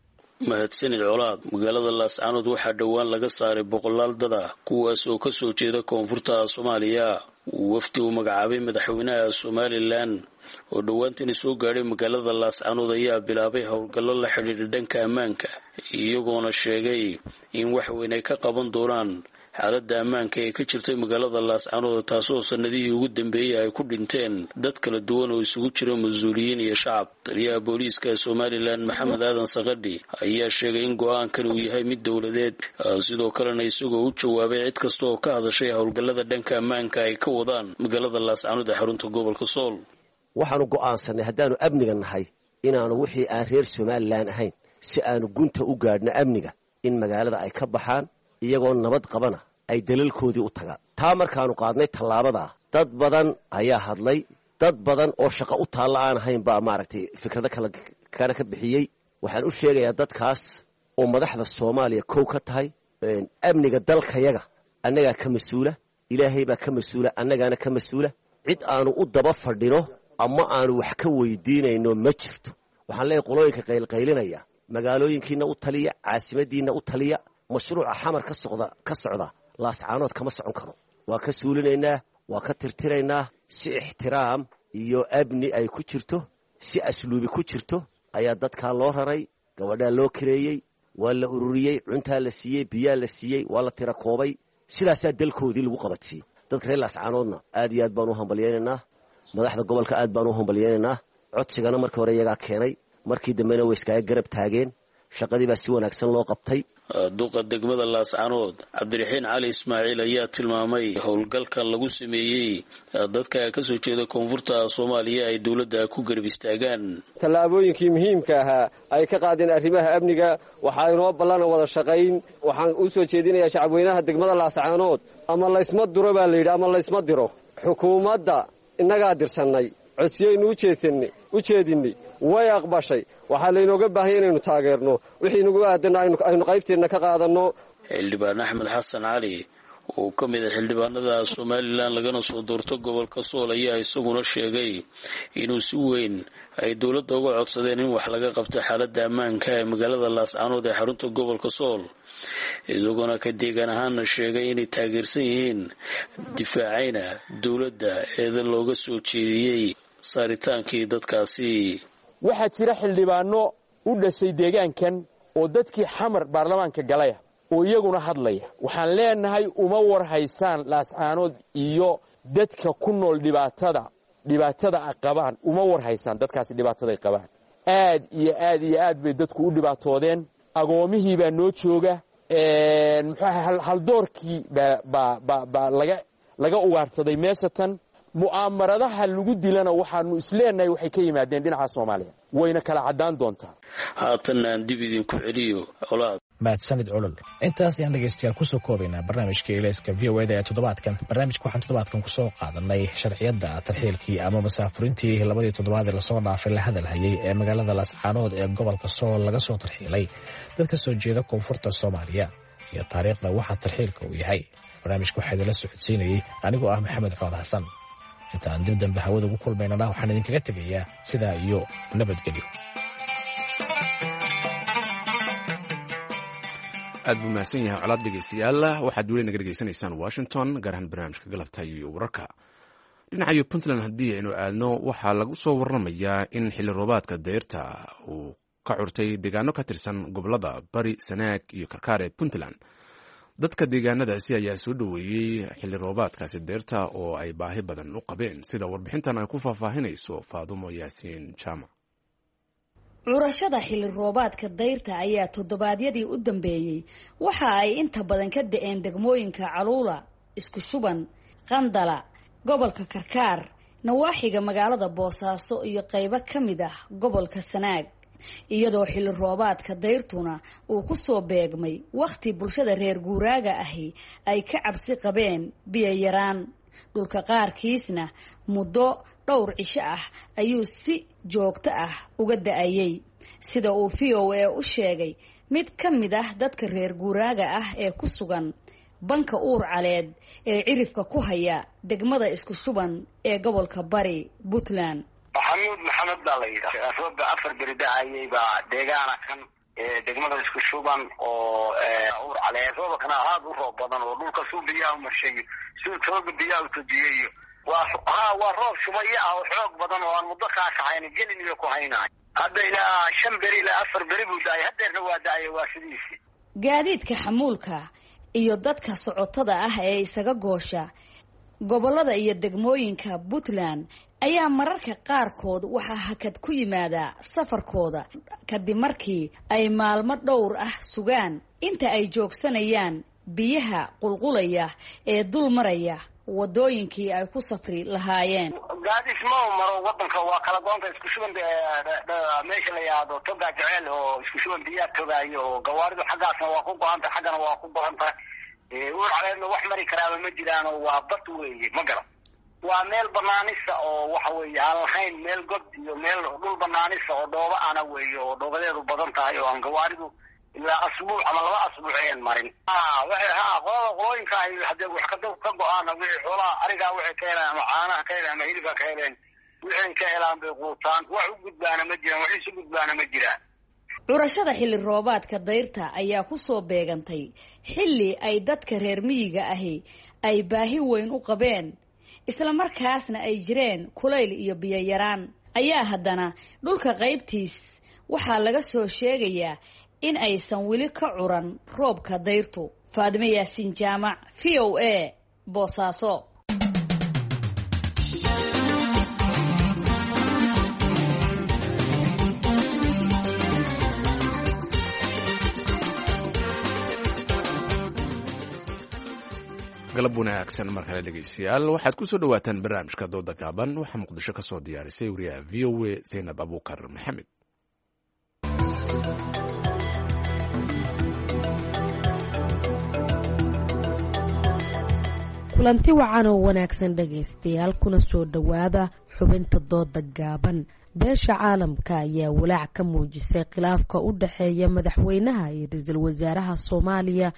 Mahadsanid, Colaad. Magaalada Laascanood waxaa dhowaan laga saaray boqolaal dad ah, kuwaas oo ka soo jeeda koonfurta Soomaaliya. Wafdi uu magacaabay madaxweynaha Somalilan oo dhowaantani soo gaadhay magaalada Laascanood ayaa bilaabay howlgallo la xidhiidha dhanka ammaanka, iyagoona sheegay in wax weyn ay ka qaban doonaan xaaladda ammaanka ee ka jirtay magaalada Laascanood, taasoo sanadihii ugu dambeeyey ay ku dhinteen dad kala duwan oo isugu jira mas-uuliyiin iyo shacab. Taliyaha booliiska Somalilan, Maxamed Aadan Sakadhi, ayaa sheegay in go-aankan uu yahay mid dowladeed, sidoo kalena isagoo u jawaabay cid kasta oo ka hadashay howlgallada dhanka ammaanka ay ka wadaan magaalada Laascanood ee xarunta gobolka Sool. Waxaanu go'aansanay haddaanu amniga nahay inaanu wixii aan reer Somalilan ahayn, si aanu gunta u gaadhno amniga, in magaalada ay ka baxaan iyagoo nabad qabana ay dalalkoodii u tagaan. Taa markaanu qaadnay tallaabadaa, dad badan ayaa hadlay. Dad badan oo shaqo u taalla aan ahayn baa maaragtay fikrado kale kana ka bixiyey. Waxaan u sheegayaa dadkaas oo madaxda Soomaaliya kow ka tahay, amniga dalkayaga annagaa ka mas-uula. Ilaahay baa ka mas-uula, annagaana ka mas-uula. Cid aanu u daba fadhino ama aanu wax ka weydiinayno ma jirto. Waxaan leeyahay qolooyinka qaylqaylinaya, magaalooyinkiina u taliya, caasimadiinna u taliya. Mashruuca Xamar ka socda ka socda Laascaanood kama socon karo. Waa ka suulinaynaa, waa ka tirtiraynaa. Si ixtiraam iyo amni ay ku jirto, si asluubi ku jirto ayaa dadkaa loo raray. Gabadhaa loo kareeyey, waa la ururiyey, cuntaa la siiyey, biyaa la siiyey, waa la tira koobay. Sidaasaa dalkoodii lagu qabatiyey. Dadka reer Laascaanoodna aad iyo aad baan u hambalyaynaynaa. Madaxda gobolka aad baan u hambalyaynaynaa. Codsigana markii hore iyagaa keenay, markii dambena way iskaga garab taageen. Shaqadii baa si wanaagsan loo qabtay. Duqa degmada Laascanood, Cabdiraxiin Cali Ismaaciil, ayaa tilmaamay howlgalkan lagu sameeyey dadka ka soo jeeda koonfurta Soomaaliya ay dowladda ku garab istaagaan. Tallaabooyinkii muhiimka ahaa ay ka qaadeen arrimaha amniga waxaa inoo ballan wada shaqayn. Waxaan u soo jeedinayaa shacabweynaha degmada Laascanood, ama laysma duro baa layidhi ama laysma diro. Xukuumadda innagaa dirsannay, codsiyaynu u jeedinnay, way aqbashay. Waxaa laynooga baahanya inaynu taageerno wixii nagu aadan, aynu qaybteenna ka qaadanno. Xildhibaan Axmed Xasan Cali oo ka mid a xildhibaanada Somalilan lagana soo doorto gobolka Sool ayaa isaguna sheegay inuu si weyn ay dowladda uga codsadeen in wax laga qabto xaaladda ammaanka ee magaalada Laascanood ee xarunta gobolka Sool, isagoona ka deegaan ahaana sheegay inay taageersan yihiin, difaacayna dowladda eeda looga soo jeediyey saaritaankii dadkaasi. Waxaa jira xildhibaano u dhashay deegaankan oo dadkii Xamar baarlamaanka galaya oo iyaguna hadlaya. Waxaan leenahay, uma war haysaan Laascaanood iyo dadka ku nool dhibaatada a qabaan. Uma war haysaan dadkaasi dhibaataday qabaan. Aad iyo aad iyo aad bay dadku u dhibaatoodeen. Agoomihii baa noo jooga, muxuu haldoorkii baa laga ugaarsaday meesha tan. Mu'aamaradaha lagu dilana waxaanu isleenahay waxay ka yimaadeen dhinaca Soomaaliya, wayna kala caddaan doontaa. Haatanna aan dib idinku celiyo, Colaad. Mahadsanid, Olol. Intaas ayaan dhegeystayaal kusoo koobaynaa barnaamijka Elayska VOA-da ee toddobaadkan. Barnaamijka waxaan toddobaadkan kusoo qaadanay sharciyadda tarxiilkii ama masaafurintii labadii toddobaad ee lasoo dhaafay la hadalhayay ee magaalada Laascaanood ee gobolka Sool laga soo tarxiilay dad ka soo jeeda koonfurta Soomaaliya iyo taariikhda waxa tarxiilka uu yahay. Barnaamijka waxaa idinla socodsiinayey anigoo ah Maxamed Cood Xasan. Inta aan dib dambe hawada ugu kulmaynana, waxaan idinkaga tegayaa sidaa iyo nabadgelyo. Aad buu mahadsan yahay, Colaad. Dhegeystayaal, waxaad weli naga dhegeysanaysaan Washington, gaar ahaan barnaamijka galabta iyo wararka. Dhinacayo Puntland haddii aynu aadno, waxaa lagu soo waramayaa in xilli roobaadka deyrta uu ka curtay deegaano ka tirsan gobolada Bari, Sanaag iyo Karkaar ee Puntland. Dadka deegaanadaasi ayaa soo dhoweeyey xilli roobaadkaasi deyrta oo ay baahi badan u qabeen, sida warbixintan ay ku faahfaahinayso Faadumo Yaasiin Jaamac. Curashada xilli roobaadka dayrta ayaa toddobaadyadii u dambeeyey waxa ay inta badan ka da-een degmooyinka Caluula, Isku Shuban, Qandala, gobolka Karkaar, nawaaxiga magaalada Boosaaso iyo qaybo ka mid ah gobolka Sanaag, iyadoo xilli roobaadka dayrtuna uu ku soo beegmay wakhti bulshada reer guuraaga ahi ay ka cabsi qabeen biyo yaraan. Dhulka qaarkiisna muddo dhowr cisho ah ayuu si joogto ah uga da-ayay, sida uu VOA u sheegay mid ka mid ah dadka reer guuraaga ah ee ku sugan banka Uur Caleed ee cirifka ku haya degmada Isku Shuban ee gobolka Bari, Puntland. Maxamuud Maxamed baa la yidhaha. Rooba 4 beri da-ayay baa deegaana kan degmada Isku Shuban oo Uur Caleed. Roobakana aada u roob badan oo dhulka suu biyaha umarshayo, suu tooga biyaha utojiyayo. Waa roob shubaya ah oo xoog badan oo aan muddo kaa kaxayn gelin iyo ku haynaay. Hadda ilaa 5 beri ilaa 4 beri buu da-ay, haddeerna waa da-ay, waa sidiisii. Gaadiidka xamuulka iyo dadka socotada ah ee isaga goosha gobollada iyo degmooyinka Puntland ayaa mararka qaarkood waxaa hakad ku yimaada safarkooda kadib markii ay maalmo dhowr ah sugaan inta ay joogsanayaan biyaha qulqulaya ee dul maraya wadooyinkii ay ku safri lahaayeen. Gaadis ma maro wadanka, waa kala goonta Isku Shuban meesha la yidhaahdo Togaa Jeceel oo Isku Shuban biyaa togaayo, oo gawaaridu xaggaasna waa ku go-anta, xaggana waa ku go-an tahay. Uur Caleedna wax mari karaaba ma jiraano, waa bad weeye, ma garan. Waa meel banaanisa oo waxa weeye aan lahayn meel god iyo meel dhul banaanisa oo dhooba ana weeye, oo dhoobadeedu badan tahay oo aan gawaaridu ilaa asbuuc ama 2 asbuuc ayan marin. Waxay qolada qolooyinka ay hadee wax ka go-aana, wixii xoolaha arigaa waxay ka helaan ama caanaha ka heleen ama hilibka ka heleen, wixii ka helaan bay quutaan. Wax u gudbaana ma jiraan, wax isu gudbaana ma jiraan. Curashada xilli roobaadka dayrta ayaa ku soo beegantay xilli ay dadka reer miyiga ahi ay baahi weyn u qabeen, islamarkaasna ay jireen kulayl iyo biyo yaraan. Ayaa haddana dhulka qaybtiis waxaa laga soo sheegayaa in aysan weli ka curan roobka dayrtu. Faadime Yaasiin Jaamac, VOA, Boosaaso. Galab wanaagsan mar kale dhegeystayaal, waxaad ku soo dhawaataan barnaamijka dooda gaaban. Waxaa Muqdisho ka soo diyaarisay wariyaha VOA Zaynab Abuukar Maxamed. Kulanti wacan oo wanaagsan dhegaystayaal, kuna soo dhowaada xubinta dooda gaaban. Beesha caalamka ayaa walaac ka muujisay khilaafka u dhexeeya madaxweynaha iyo ra-iisul wasaaraha Soomaaliya,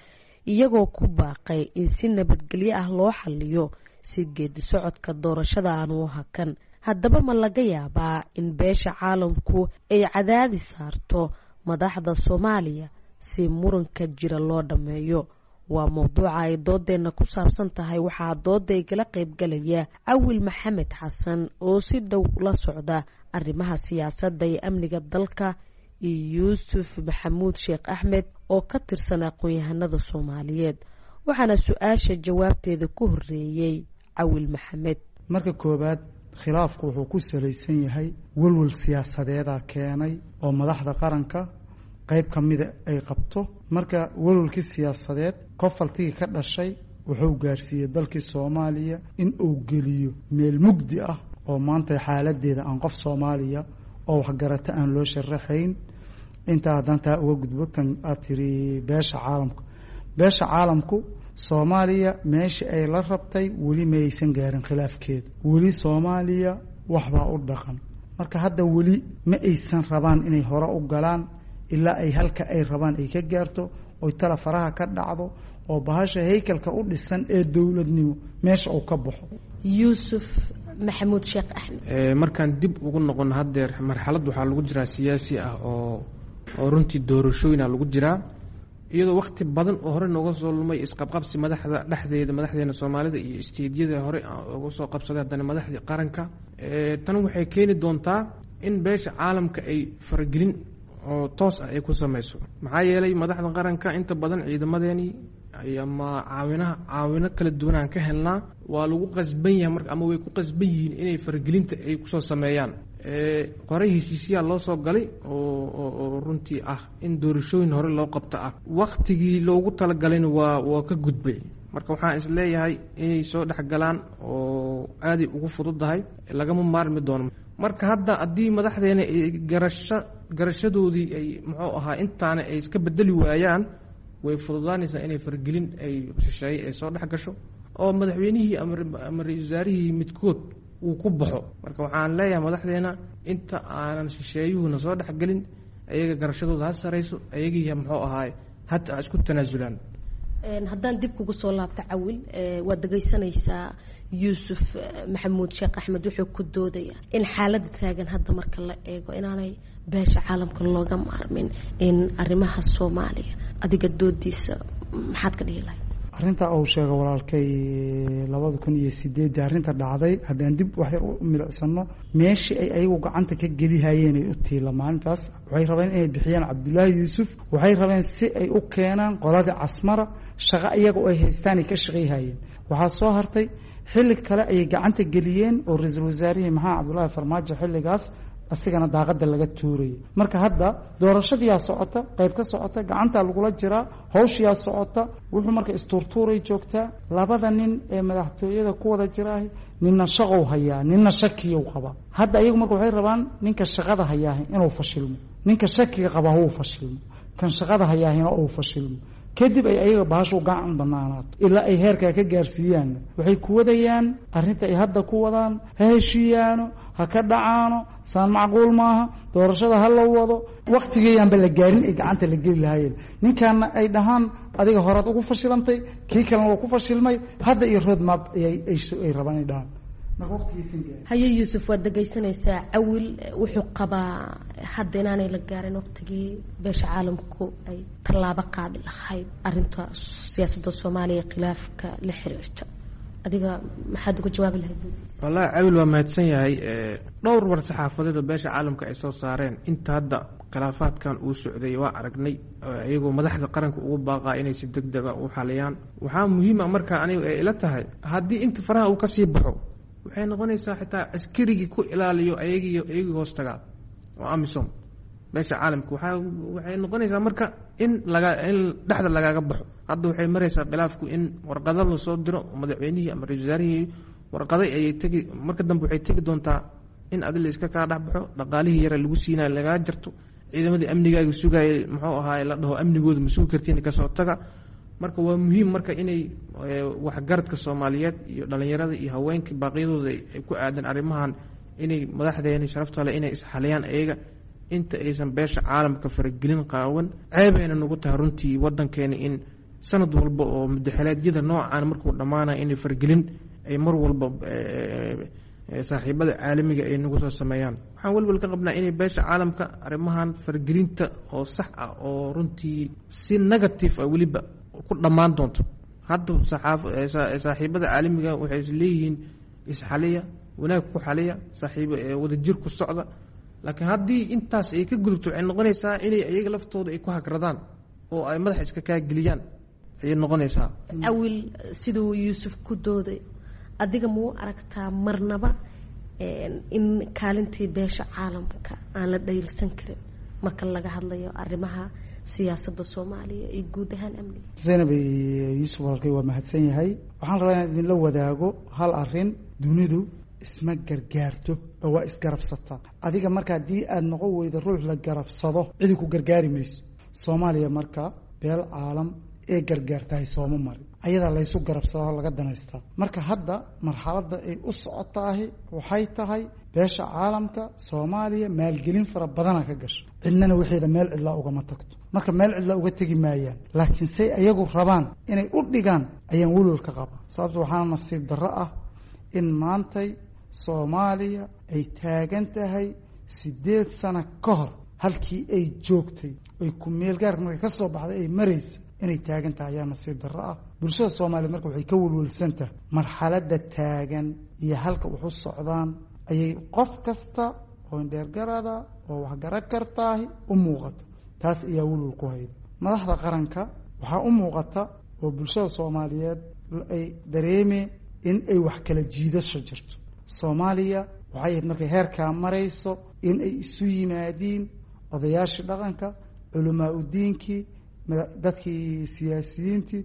iyagoo ku baaqay in si nabadgelyo ah loo xaliyo si geedi socodka doorashada aanu u hakan. Haddaba ma laga yaabaa in beesha caalamku ay cadaadis saarto madaxda Soomaaliya si muranka jira loo dhammeeyo? Waa mowduuca ay doodeenna ku saabsan tahay. Waxaa dooda igala qaybgalaya Cawil Maxamed Xasan oo si dhow la socda arrimaha siyaasadda iyo amniga dalka, iyo Yuusuf Maxamuud Sheekh Axmed oo ka tirsan aqoon-yahanada Soomaaliyeed. Waxaana su-aasha jawaabteeda ku horeeyey Cawil Maxamed. Marka koowaad, khilaafku wuxuu ku salaysan yahay welwel siyaasadeeda keenay oo madaxda qaranka qayb ka mida ay qabto. Marka welwelkii siyaasadeed kofaltigii ka dhashay wuxuu gaarsiiyey dalkii Soomaaliya in uu geliyo meel mugdi ah oo maanta xaaladeeda aan qof Soomaaliya oo waxgarata aan loo sharaxayn. Intaa haddaan taa uga gudbo, tan aad tiri beesha caalamku, beesha caalamku Soomaaliya meesha ay la rabtay weli ma aysan gaarin khilaafkeedu. Weli Soomaaliya waxbaa u dhaqan. Marka hadda weli ma aysan rabaan inay hore u galaan ilaa ay halka ay rabaan ay ka gaarto, oy tala faraha ka dhacdo oo bahasha haykalka u dhisan ee dowladnimo meesha uu ka baxo. Yuusuf Maxamuud Sheekh Axmed. Markaan dib ugu noqono, haddeer marxalad waxaa lagu jiraa siyaasi ah oo runtii doorashooyina lagu jiraa, iyadoo wakhti badan oo hore nooga soo lumay isqabqabsi madaxda dhexdeeda, madaxdeena Soomaalida iyo isteedyada hore uga soo qabsaday, haddana madaxdii qaranka. Tan waxay keeni doontaa in beesha caalamka ay faragelin oo toos ah ay ku sameyso, maxaa yeelay madaxda qaranka inta badan ciidamadeeni ama caawinaha caawino kala duwan aan ka helnaa. Waa lagu qasban yahay marka, ama way ku qasban yihiin inay faragelinta ay kusoo sameeyaan. Qoray heshiisyaa loo soo galay oo runtii ah in doorashooyin hore loo qabto ah, waktigii loogu talagalayna waa ka gudbay. Marka waxaan isleeyahay inay soo dhexgalaan oo aaday ugu fududahay, lagama maarmi doono. Marka hadda haddii madaxdeena ay garasho garashadoodii ay muxuu ahaa intaana ay iska bedeli waayaan, way fududaanaysaa inay faragelin ay shisheeye ay soo dhex gasho. oo madaxweynihii ama ra-isul wasaarihii midkood uu ku baxo. Marka waxaan leeyahay madaxdeena inta aanan shisheeyuhuna soo dhexgelin, ayaga garashadooda ha sarayso, ayagii muxuu ahaay hata ha isku tanaasulaan. Haddaan dib kugu soo laabto Cawil, waad dhegaysanaysaa Yuusuf Maxamuud Sheekh Axmed wuxuu ku doodaya in xaaladda taagan hadda marka la eego inaanay beesha caalamka looga maarmin in arrimaha Soomaaliya. Adiga doodiisa maxaad ka dhihi lahayd? Arrinta uu sheego walaalkay, 2008-dii arrinta dhacday, haddaan dib wax yar u milicsano, meeshii ay ayagu gacanta ka gelihayeen ay u tiila maalintaas, waxay rabeen inay bixiyaan Cabdullaahi Yuusuf. Waxay rabeen si ay u keenaan qoladii Casmara, shaqo iyaga ay haystaan ay ka shaqayhayeen. Waxaa soo hartay xilli kale ayay gacanta geliyeen oo ra-iisul wasaarihii Maxamed Cabdullaahi Farmaajo xilligaas asigana daaqada laga tuurayay. Marka hadda doorashadiyaa socota, qayb ka socota, gacantaa lagula jiraa, hawshiyaa socota, wuxuu marka istuurtuuray joogtaa. Labada nin ee madaxtooyada ku wada jiraahi, ninna shaqow hayaa, ninna shakiyow qabaa. Hadda iyagu marka waxay rabaan ninka shaqada hayaahi inuu fashilmo, ninka shakiga qabaa huu fashilmo, kan shaqada hayaahina uu fashilmo, kadib ay ayaga bahashu gacan banaanaato. Ilaa ay heerkaa ka gaarsiiyaanna waxay ku wadayaan arrinta ay hadda ku wadaan: ha heshiiyaano, ha ka dhacaano, saan macquul maaha, doorashada ha la wado. Waktigeeyaanba la gaarin ay gacanta la geli lahaayeen, ninkaana ay dhahaan adiga horaad ugu fashilantay, kii kalena waa ku fashilmay. Hadda iyo road map ay rabaan ay dhahaan. Haye Yuusuf, waad dhegaysanaysaa Cawil wuxuu qabaa hadda inaanay la gaarin waqtigii beesha caalamku ay tallaabo qaadi lahayd arinta siyaasadda Soomaaliya khilaafka la xiriirta. Adiga maxaad uga jawaabi lahayd? Wallaahi Cawil waa mahadsan yahay. Dhowr war saxaafadeed oo beesha caalamka ay soo saareen inta hadda khilaafaadkan uu socday waa aragnay, iyagoo madaxda qaranka ugu baaqaa inay si deg dega u xaliyaan. Waxaa muhiim a marka anigu ay ila tahay, haddii inta faraha uu kasii baxo, waxay noqonaysaa xitaa askarigii ku ilaaliyo ayagii hoos tagaa oo AMISOM beesha caalamka waxay noqonaysaa marka in laga in dhexda lagaaga baxo. Hadda waxay maraysaa khilaafku in warqado lasoo diro madaxweynihii ama ra-isul wasaarihii warqaday ayay tegi. Marka dambe waxay tegi doontaa in adi la iska kaa dhex baxo, dhaqaalihii yara lagu siinayo lagaa jarto, ciidamadii amnigaaga sugayay muxuu ahaay la dhaho amnigooda ma sugi kartiin, kasoo taga. Marka waa muhiim marka inay waxgaradka Soomaaliyeed iyo dhalinyarada iyo haweenka baaqyadooda ay ku aadan arrimahan inay madaxdeeni sharafta leh inay isxaliyaan ayaga inta aysan beesha caalamka faragelin qaawan. Ceebayna nagu tahay runtii wadankeena in sanad walba oo mudaxeleedyada noocan markuu dhammaanaya inay faragelin ay mar walba saaxiibada caalamiga ay nagu soo sameeyaan. Waxaan welwel ka qabnaa inay beesha caalamka arrimahan faragelinta oo sax ah oo runtii si negative ah weliba ku dhammaan doonto. Hadda saaxiibada caalamiga waxay is leeyihiin isxaliya, wanaag ku xaliya, saaxiib wadajir ku socda, laakiin haddii intaas ay ka gudubto waxay noqonaysaa inay iyaga laftooda ay ku hagradaan oo ay madaxa iska kaa geliyaan ayay noqonaysaa. Cawil, siduu Yuusuf ku dooday, adiga mau aragtaa marnaba in kaalintii beesha caalamka aan la dhayilsan karin marka laga hadlayo arrimaha siyaasadda Soomaaliya iyo guud ahaan amniga? Zaynab, Yuusuf walaalkay waa mahadsan yahay. Waxaan rabaa inaan idinla wadaago hal arrin. Dunidu isma gargaarto oo waa isgarabsataa. Adiga marka haddii aada noqon weydo ruux la garabsado, cidi ku gargaari mayso. Soomaaliya marka beel caalam ee gargaartahay sooma marin, ayadaa laysu garabsadaa oo laga danaystaa. Marka hadda marxaladda ay u socotaahi waxay tahay beesha caalamka Soomaaliya maalgelin fara badana ka gasho, cidnana waxeeda meel cidlaa ugama tagto. Marka meel cidlaa uga tegi maayaan, laakiin say ayagu rabaan inay u dhigaan ayaan welwel ka qabaa. Sababto waxaana nasiib darro ah in maantay Soomaaliya ay taagan tahay 8 sano ka hor halkii ay joogtay ay ku meel gaarka markay ka soo baxday ay maraysa inay taagan tahay ayaa nasiib darro ah. Bulshada Soomaaliyeed marka waxay ka welwelsan tahay marxaladda taagan iyo halka wax u socdaan ayay qof kasta oo indheergarada oo waxgara kartaahi u muuqata. Taas ayaa welwel ku hayda madaxda qaranka. Waxaa u muuqata oo bulshada Soomaaliyeed ay dareemeen in ay wax kala jiidasho jirto. Soomaaliya waxay ahayd markay heerkaa marayso in ay isu yimaadiin odayaashii dhaqanka, culamaa udiinkii, dadkii siyaasiyiintii,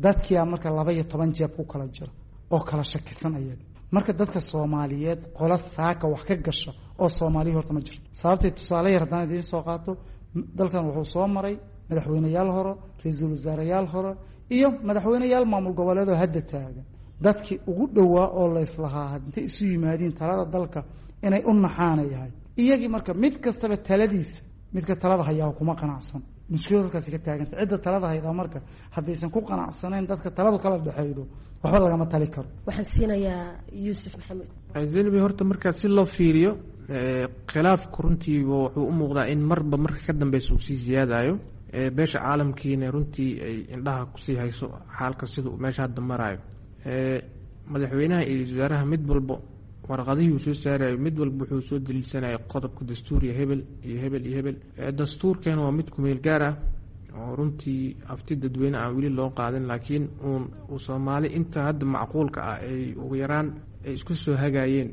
dadkiia marka 12 jeeb ku kala jira oo kala shakisan ayaga. Marka dadka Soomaaliyeed qola saaka wax ka gasha oo Soomaaliya horta ma jirto. Sababtay tusaale yar haddaan idiin soo qaato, dalkan wuxuu soo maray madaxweyneyaal hore, ra-iisul wasaareyaal hore iyo madaxweyneyaal maamul goboleedoo hadda taagan. Dadkii ugu dhowaa oo layslahaa intay isu yimaadiin talada dalka inay u naxaanayahay iyagii. Marka mid kastaba taladiisa midka talada hayaa kuma qanacsan. Mushkilad halkaasi ka taaganta, cidda talada haydaa marka haddaysan ku qanacsanayn dadka taladu kala dhexaydo, waxba lagama tali karo. Waxaan siinayaa Yuusuf Maxamed. Zainabi, horta markaa si loo fiiriyo khilaafku runtii wuxuu u muuqdaa in marba marka ka dambeysa uu sii siyaadayo, beesha caalamkiina runtii ay indhaha kusii hayso xaalka siduu meesha hadda maraayo. Madaxweynaha iyo ra-iisul wasaaraha mid walbo warqadihii uu soo saarayo, mid walba wuxuu soo daliilsanaya qodobka dastuuriya hebel iyo hebel iyo hebel. Dastuurkeena waa mid kumeel gaar ah oo runtii afti dadweyne aan weli loo qaadin, laakiin uun Soomaali inta hadda macquulka ah ay ugu yaraan ay isku soo hagaayeen,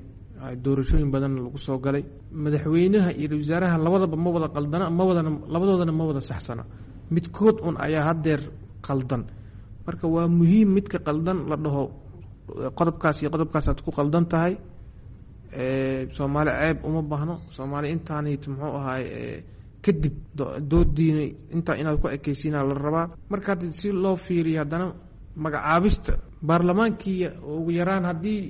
doorashooyin badanna lagu soo galay. Madaxweynaha iyo ra-isul wasaaraha labadaba ma wada qaldana, ma wadana, labadoodana ma wada saxsana, midkood un ayaa haddeer qaldan. Marka waa muhiim midka qaldan la dhaho qodobkaas iyo qodobkaasaad ku qaldan tahay. Soomaali ceeb uma baahno. Soomaali intaanit muxuu ahaay kadib doodiina intaa inaad ku ekeysiinaa la rabaa. Marka hadda si loo fiiriyo haddana magacaabista baarlamaankii, ugu yaraan haddii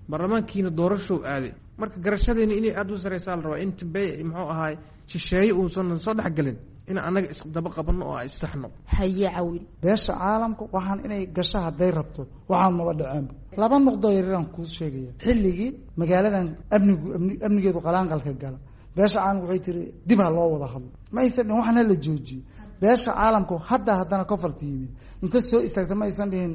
baarlamaankiina doorashow aaday, marka garashadeena inay aada u sareysaa la rabaa, inta be muxuu ahaay shisheeye uusan soo dhexgelin, in annaga isdaba qabanno oo issaxno. Haye Cawil. Beesha caalamka waxaan inay gasho hadday rabto, waxaan maba dhaceenba. Laba noqdoo yaryaraan kuu sheegaya. Xilligii magaaladan amnigu amnigeedu qalaanqalka gala, beesha caalamka waxay tiri dib ha loo wada hadlo. Ma aysan dhihin waxaan hala joojiyo. Beesha caalamku hadda haddana kofarta yimid inta soo istaagta ma aysan dhihin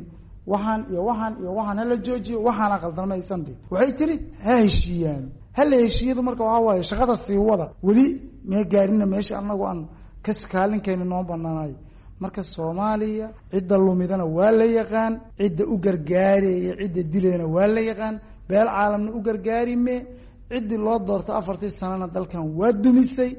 waxaan iyo waxaan iyo waxaan hala joojiyo, waxaana qaldan ma aysan dhihin. Waxay tiri ha heshiiyaan, hala heshiiyadu. Marka waxaa waaye shaqada sii wada, weli mee gaarina meesha annagu aan kaalinkeena noo banaanayo. Marka Soomaaliya cidda lumidana waa la yaqaan, cidda u gargaaraya, cidda dilayna waa la yaqaan. Beel caalamna u gargaarime. Ciddii loo doorto 4-tii sanana dalkan waa dumisay,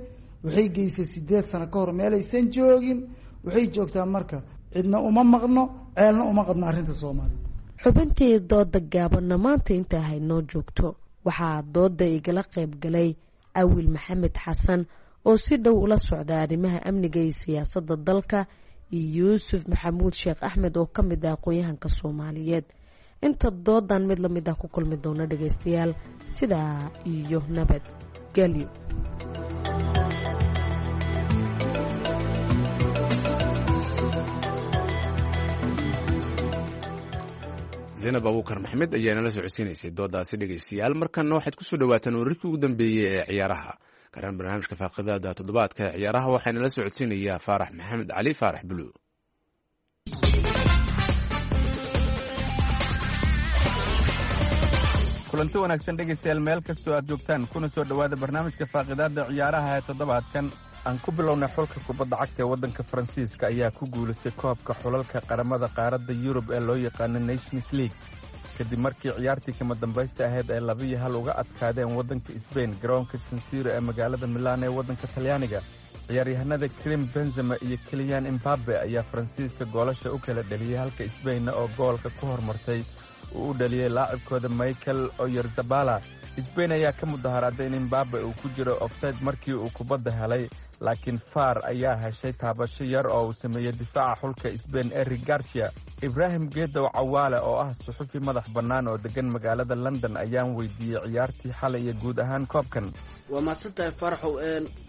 waxay geysay 8 sano ka hor meelaysan joogin waxay joogtaa. Marka cidna uma maqno, ceelna uma qadno arrinta Soomaaliya. Xubintii dooda gaabanna maanta intaa haynoo joogto. Waxaa dooda igala qayb galay Awil Maxamed Xasan oo si dhow ula socda arrimaha amniga iyo siyaasadda dalka, iyo Yuusuf Maxamuud Sheekh Axmed oo ka mid ah aqoon-yahanka Soomaaliyeed. Inta doodan mid lamid ah ku kulmi doona dhagaystayaal, sidaa iyo nabad gelyo. Zaynab Abuukar Maxamed ayaa nala socodsiinaysay doodaasi. Dhegeystayaal, markanna waxaad kusoo dhawaataan wararkii ugu dambeeyey ee ciyaaraha, gaaraan barnaamijka faaqidaada toddobaadka ee ciyaaraha. Waxaa nala socodsiinayaa Faarax Maxamed Cali, Faarax Bulu. Kulanti wanaagsan dhegaystayaal, meel kastoo aad joogtaan, kuna soo dhowaada barnaamijka faaqidaadda ciyaaraha ee toddobaadkan. Aan ku bilownay, xulka kubadda cagta ee waddanka Faransiiska ayaa ku guulaystay koobka xulalka qaramada qaaradda Yurub ee loo yaqaano Nations League, kadib markii ciyaartii kama dambaysta ahayd ay 2-1 uga adkaadeen waddanka Sbain garoonka Sansiro ee magaalada Milaan ee waddanka Talyaaniga. Ciyaaryahanada Krim Benzema iyo Kiliyan Imbabe ayaa Faransiiska goolasha u kala dheliyey, halka Sbainna oo goolka ku hormartay uu u dhaliyey laacibkooda Michael Oyarzabala. Sbain ayaa ka mudaharaaday in Imbabe uu ku jiro ofsayd markii uu kubadda helay, laakiin FAR ayaa heshay taabasho yar oo uu sameeyey difaaca xulka Sbain Eric Garcia. Ibraahim Geedow Cawaale oo ah suxufi madax bannaan oo deggan magaalada London ayaan weydiiyey ciyaartii xalay iyo guud ahaan koobkan. Waa mahadsantahay Faaraxow.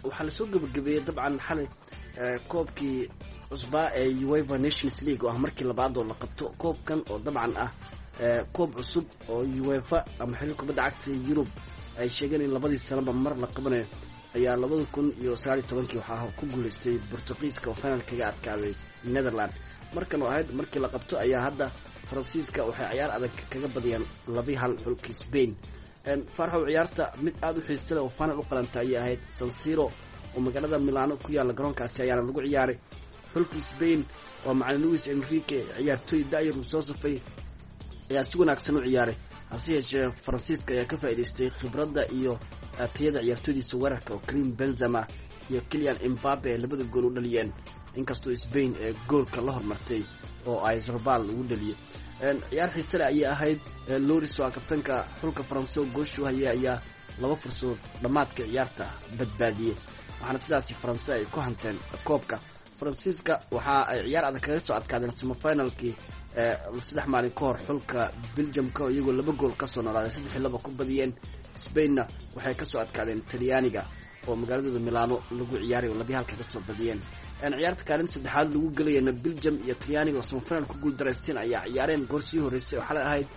Waxaa lasoo gebagabeeyey dabcan xalay koobkii cusbaa ee UEFA Nations League, oo ah markii labaad oo la qabto koobkan, oo dabcan ah koob cusub oo UEFA ama xiriir kubadda cagta Yurub ay sheegeen in labadii sanaba mar la qabanayo. Ayaa 2019-kii waxaa ku guuleystay Bortuqiiska oo final kaga adkaaday Netherland. Markan oo ahayd markii la qabto ayaa hadda Faransiiska waxay ciyaar adag kaga badiyaan 2-1 xulka Spain. Farxow, ciyaarta mid aada u xiisa leh oo final u qalanta ayay ahayd. Sansiro oo magaalada Milano ku yaalla garoonkaasi ayaana lagu ciyaaray. Xulka Spain oo macalin Luis Enrique ciyaartooy da-yar uu soo safay ayaa si wanaagsan u ciyaaray, hase yeeshee Faransiiska ayaa ka faa'iidaystay khibradda iyo tayada ciyaartooydiisa weerarka, oo Karim Benzema iyo Kilian Imbabe ay labada gool u dhaliyeen, inkastoo Spain ee goolka la hormartay oo ay Zarbal ugu dhaliyay. Ciyaar xiisale ayay ahayd. Loris oo ah kabtanka xulka Faranse oo gooshu hayay ayaa laba fursadood dhammaadka ciyaarta badbaadiyey, waxaana sidaasi Faranse ay ku hanteen koobka. Faransiiska waxa ay ciyaar adag kaga soo adkaadeen semifinalkii 3 maalin ka hor xulka Belgiumka iyagoo 2 gool kasoo noolaaday 3-2 ku badiyeen. Spainna waxay kasoo adkaadeen Talyaaniga oo magaaladooda Milano lagu ciyaaray oo 2-1 kasoo badiyeen. Ciyaarta kaalinta saddexaad lagu gelayana Belgium iyo Talyaaniga oo semifinal ku guuldaraysteen ayaa ciyaareen goor sii horreysay oo xalay ahayd,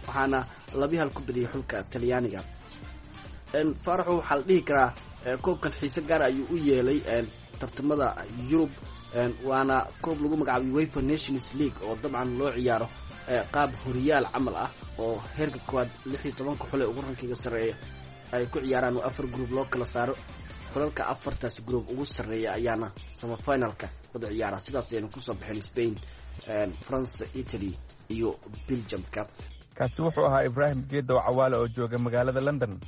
waxaana 2-1 ku badiyay xulka Talyaaniga. Faaraxu waxaa la dhihi karaa koobkan xiise gaar ayuu u yeelay tartamada Yurub, waana koob lagu magacaabay UEFA Nations League oo dabcan loo ciyaaro qaab horiyaal camal ah oo heerka koowaad 16 xul ee ugu rankiga sarreeya ay ku ciyaaraan oo 4 group loo kala saaro. Xulalka 4taas group ugu sarreeya ayaana semifinalka wada ciyaara. Sidaas ayaynu kusoo baxeen Spain, France, Italy iyo Belgiumka. Kaasi wuxuu ahaa Ibraahim Geedow Cawaale oo jooga magaalada London.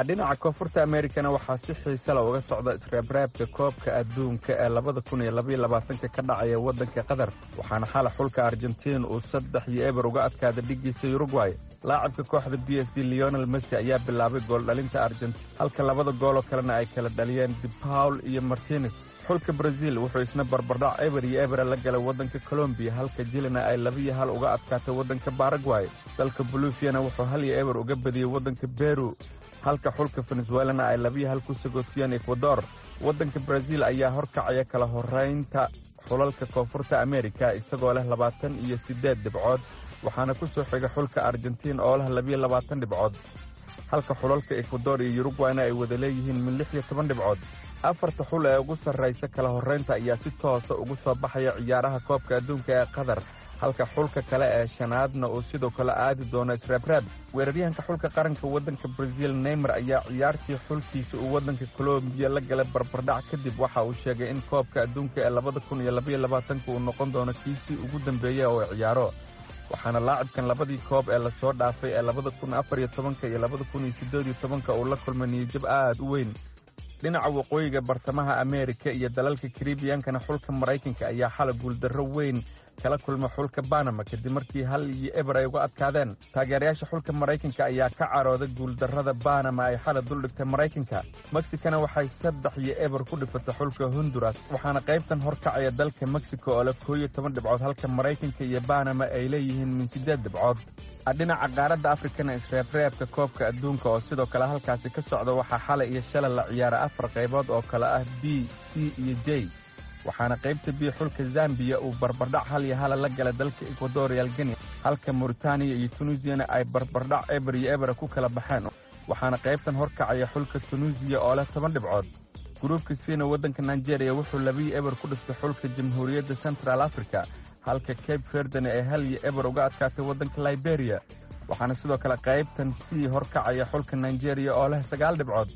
Dhinaca Koonfurta Amerikana waxaa si xiisala uga socda isreebreebka koobka adduunka ee 2022 ka dhacaya waddanka Qatar, waxaana xala xulka Argentiin uu 3-0 uga adkaaday dhiggiisa Uruguay. Laacibka kooxda PSG Lionel Messi ayaa bilaabay gooldhalinta Argentiin, halka labada gooloo kalena ay kala dhaliyeen De Paul iyo Martinez. Xulka Brazil wuxuu isna barbardhac 0-0 la galay waddanka Colombiya, halka Jilina ay 2-1 uga adkaatay waddanka Paraguay. Dalka Boliviana wuxuu 1-0 uga badiyey waddanka Peru, halka xulka Venezuelana ay 2-1 ku sagootiyeen Ecuador. Waddanka Brazil ayaa horkacaya kala horeynta xulalka Koonfurta Amerika isagoo leh 28 dhibcood, waxaana ku soo xiga xulka Argentiin oo leh 22 dhibcood, halka xulalka Ecuador iyo Uruguayna ay wada leeyihiin min 16 dhibcood. 4ta xul ee ugu sarraysa kala horreynta ayaa si toosa ugu soo baxaya ciyaaraha koobka adduunka ee Qatar, halka xulka kale ee shanaadna uu sidoo kale aadi doono isreebreeb. Weeraryahanka xulka qaranka waddanka Brazil Neymar ayaa ciyaartii xulkiisa uu waddanka Colombiya la galay barbardhac kadib waxa uu sheegay in koobka adduunka ee 2022 uu noqon doono kiisii ugu dambeeya oo ciyaaro, waxaana laacibkan labadii koob ee lasoo dhaafay ee 2014 iyo 2018 uu la kulmay niyajab aad u weyn. Dhinaca waqooyiga bartamaha Ameerika iyo dalalka Karibiyankana xulka Maraykanka ayaa xala guuldarro weyn kala kulma xulka Banama kadib markii 1-0 ay uga adkaadeen. Taageerayaasha xulka Maraykanka ayaa ka carooday guuldarrada Banama ay xala duldhigtay Maraykanka. Mexicana waxay 3-0 ku dhifatay xulka Honduras, waxaana qaybtan horkacaya dalka Mexico oo leh 11 dhibcood, halka Maraykanka iyo Banama ay leeyihiin min 8 dhibcood. Dhinaca qaaradda Afrikana isreebreebka koobka adduunka oo sidoo kale halkaasi ka socda waxaa xalay iyo shalay la ciyaara 4 qaybood oo kale ah B, C iyo J, waxaana qaybta B xulka Zambiya uu barbardhac 1-1 la galay dalka Equatorial Guinea, halka Mauritania iyo Tunisiana ay barbardhac 0-0 ku kala baxeen, waxaana qaybtan horkacaya xulka Tunisiya oo leh 10 dhibcood. Gruubka Cna waddanka Nigeria wuxuu 2-0 ku dhiftay xulka Jamhuuriyadda Central Africa, halka Cape Verdena ay 1-0 uga adkaatay waddanka Liberia, waxaana sidoo kale qaybtan C horkacaya xulka Nigeria oo leh 9 dhibcood.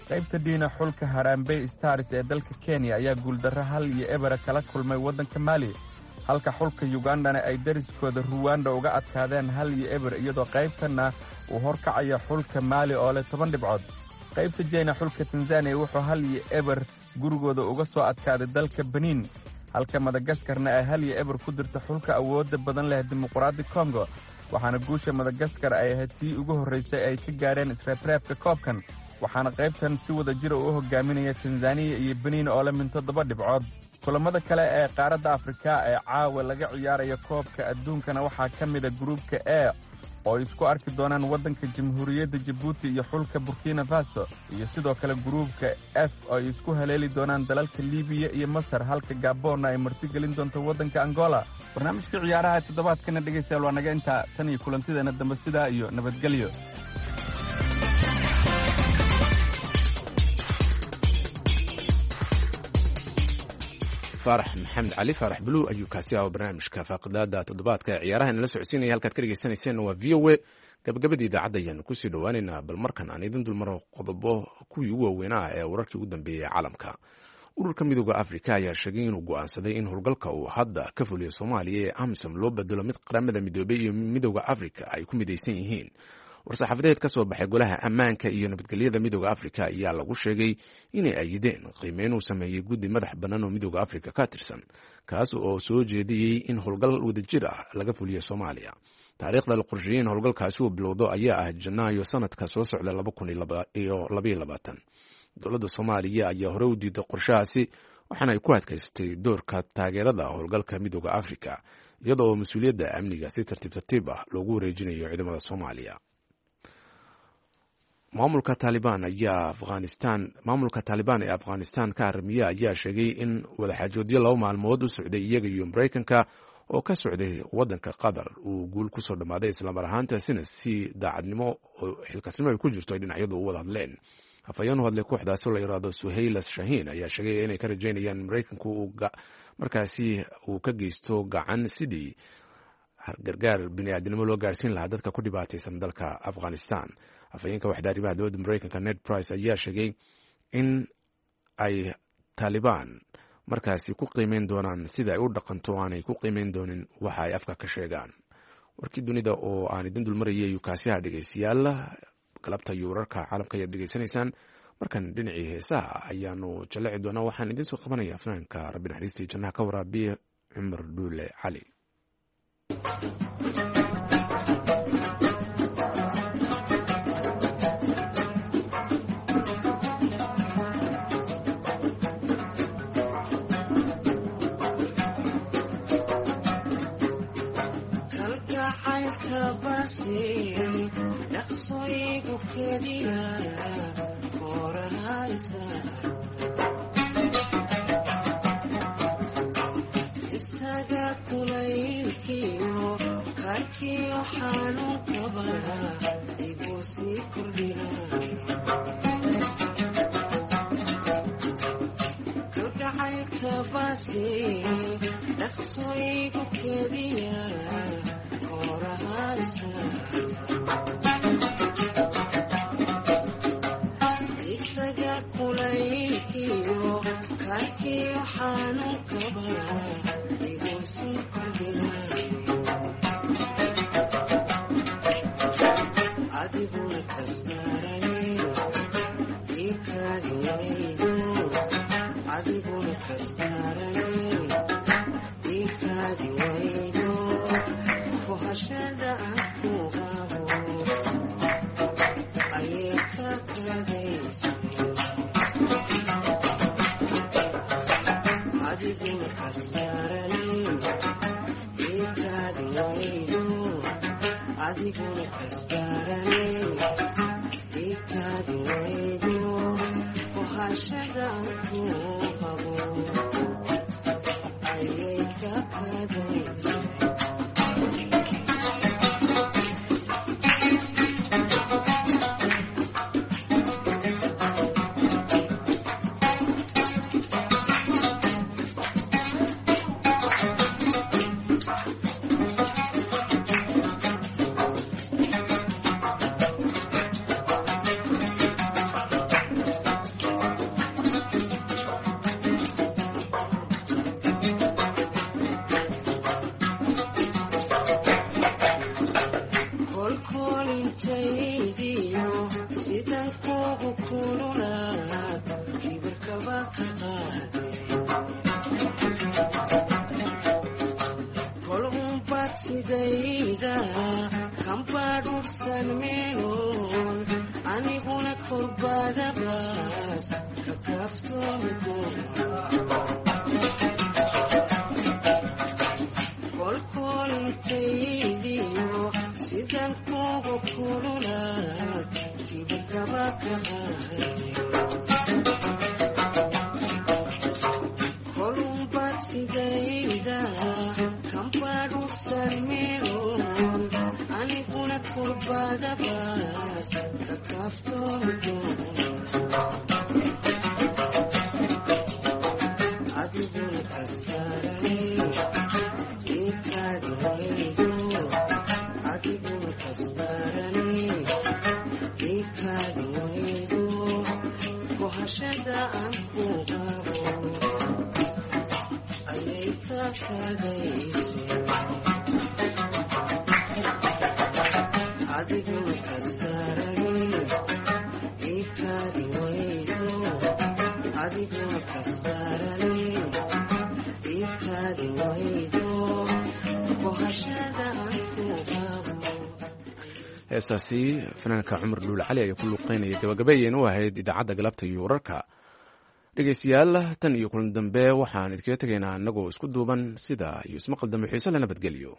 Qaybta D-na xulka Harambee Stars ee dalka Kenya ayaa guuldarro 1-0 kala kulmay waddanka Mali, halka xulka Ugandana ay dariskooda Ruwanda uga adkaadeen 1-0, iyadoo qaybtanna uu horkacaya xulka Mali oo leh 10 dhibcood. Qaybta J-na xulka Tanzania wuxuu 1-0 gurigooda uga soo adkaaday dalka Benin, halka Madagaskarna ay 1-0 ku dirta xulka awoodda badan leh Dimuqraadi Congo, waxaana guusha Madagaskar ay ahayd tii ugu horraysay ay ka gaareen isreebreebka koobkan, waxaana qaybtan si wada jira u hogaaminaya Tanzaniya iyo Benin oo leh min 7 dhibcood. Kulamada kale ee qaaradda Afrika ee caawa laga ciyaarayo koobka adduunkana waxaa ka mid a gruubka E oo ay isku arki doonaan waddanka Jamhuuriyadda Jabuuti iyo xulka Burkina Faso, iyo sidoo kale gruubka F oo ay isku haleeli doonaan dalalka Libiya iyo Masar, halka Gabonna ay martigelin doonto waddanka Angola. Barnaamijka ciyaaraha toddobaadkana dhegaystayaal waa naga intaa, tan iyo kulantideena dambe sidaa iyo nabadgelyo. Faarax Maxamed Cali, Faarax Bluu, ayuu kaasi ah barnaamijka faaqidaada toddobaadka ee ciyaaraha inala socodsiinaya. Halkaad ka dhegeysaneyseen waa VOA. Gabagabadii idaacadda ayaanu kusii dhowaaneynaa, bal markan aan idin dulmaro qodobo kuwii ugu waaweynaa ee wararkii ugu dambeeyey ee caalamka. Ururka Midooda Afrika ayaa sheegay inuu go'aansaday in howlgalka uu hadda ka fuliyo Soomaaliya ee AMISOM loo bedelo mid Qaramada Midoobey iyo Midooda Afrika ay ku midaysan yihiin. War-saxaafadeed ka soo baxay Golaha Ammaanka iyo Nabadgelyada Midooda Afrika ayaa lagu sheegay inay ayideen qiimeyn uu sameeyey guddi madax bannaan oo Midooda Afrika ka tirsan, kaas oo soo jeediyey in howlgal wadajir ah laga fuliyo Soomaaliya. Taariikhda la qorsheeyey in howlgalkaasi uu bilowdo ayaa ah Janaayo sanadka soo socda. Dowladda Soomaaliya ayaa hore u diiday qorshahaasi, Waxaana ay ku adkaysatay doorka taageerada howlgalka Midooda Afrika, iyadoo mas-uuliyadda amniga si tartiib tartiib ah loogu wareejinayo ciidamada Soomaaliya. Maamulka Taalibaan ayaa Afghanistan, maamulka Taalibaan ee Afghanistan ka haramiya ayaa sheegay in wadaxaajoodyo 2 maalmood u socday iyaga iyo Maraykanka oo ka socday wadanka Qatar uu guul kusoo dhammaaday, islamar ahaantaasina si daacadnimo oo xilkasnimo ay ku jirto ay dhinacyadu u wada hadleen. Afhayeen u hadlay kooxdaasi oo la yidhaahdo Suhaylas Shahiin ayaa sheegay inay ka rajaynayaan Maraykanku uu markaasi uu ka geysto gacan sidii gargaar biniaadinimo loo gaarsiin lahaa dadka ku dhibaataysan dalka Afghanistan. Afhayeenka waxda arrimaha dowladda Maraykanka Ned Price ayaa sheegay in ay Taalibaan markaasi ku qiimeyn doonaan sida ay u dhaqanto, aanay ku qiimeyn doonin waxa ay afka ka sheegaan. Warkii dunida oo aan idin dulmarayay yukaasiyaha, dhegeystayaal, galabta iyo wararka caalamka ayaad dhegeysanaysaan. Markan dhinacii heesaha ayaanu jalleci doonaa. Waxaan idiin soo qabanaya fanaanka rabbi naxariistii jannaha ka waraabiye Cumar Dhuule Cali. Isaga kulaylkiyo karkiyo xanuunkaba igu sii kordhina, kalgacaylka baase dhaqso igu kediya korahaysa. Isaga kulaylkiyo karkiyo xanuunkaba igu sii kordhina, adiguna kastarane ikaadi waydo, adiguna kastarane ikaadi waydo, kohashada aan ku qabo ayay ka kadayso, adiguna kastarane ikaadi waydo, adiguna kastarane ikaadi waydo, kohashada aan ku qabo ayay ka kadayso. Kolkolintaydiyo sidan kugu kululaad kibirkaba ka qaade, kol unbaad sidayda kambadhursan meeloon, aniguna korbadabaas ka kaaftoomi doon. Kolkolintaydiyo sidan kugu kululaad kibirkaba ka qaade, kolunbaad sidayda kambadhursan meeloon, aniguna kurbadabaas ka kaaftoomi doon, adiguna kastarane ikaadi waydo, adiguna kastarane ikaadi waydo, kohashada aan ku qabo ayay ka kadayse, adiguna kastarane ikaadi waydo, adiguna kastarane ikaadi waydo, kohashada aan ku qabo. Heestaasi fanaanka Cumar Dhuule Cali ayaa ku luuqeynaya. Gabagabeeyeen u ahayd idaacadda galabta iyo wararka Dhegeystayaal, tan iyo kulan dambe waxaan idinkaga tegaynaa annagoo isku duuban sidaa iyo ismaqal dambe xiise la nabadgelyo.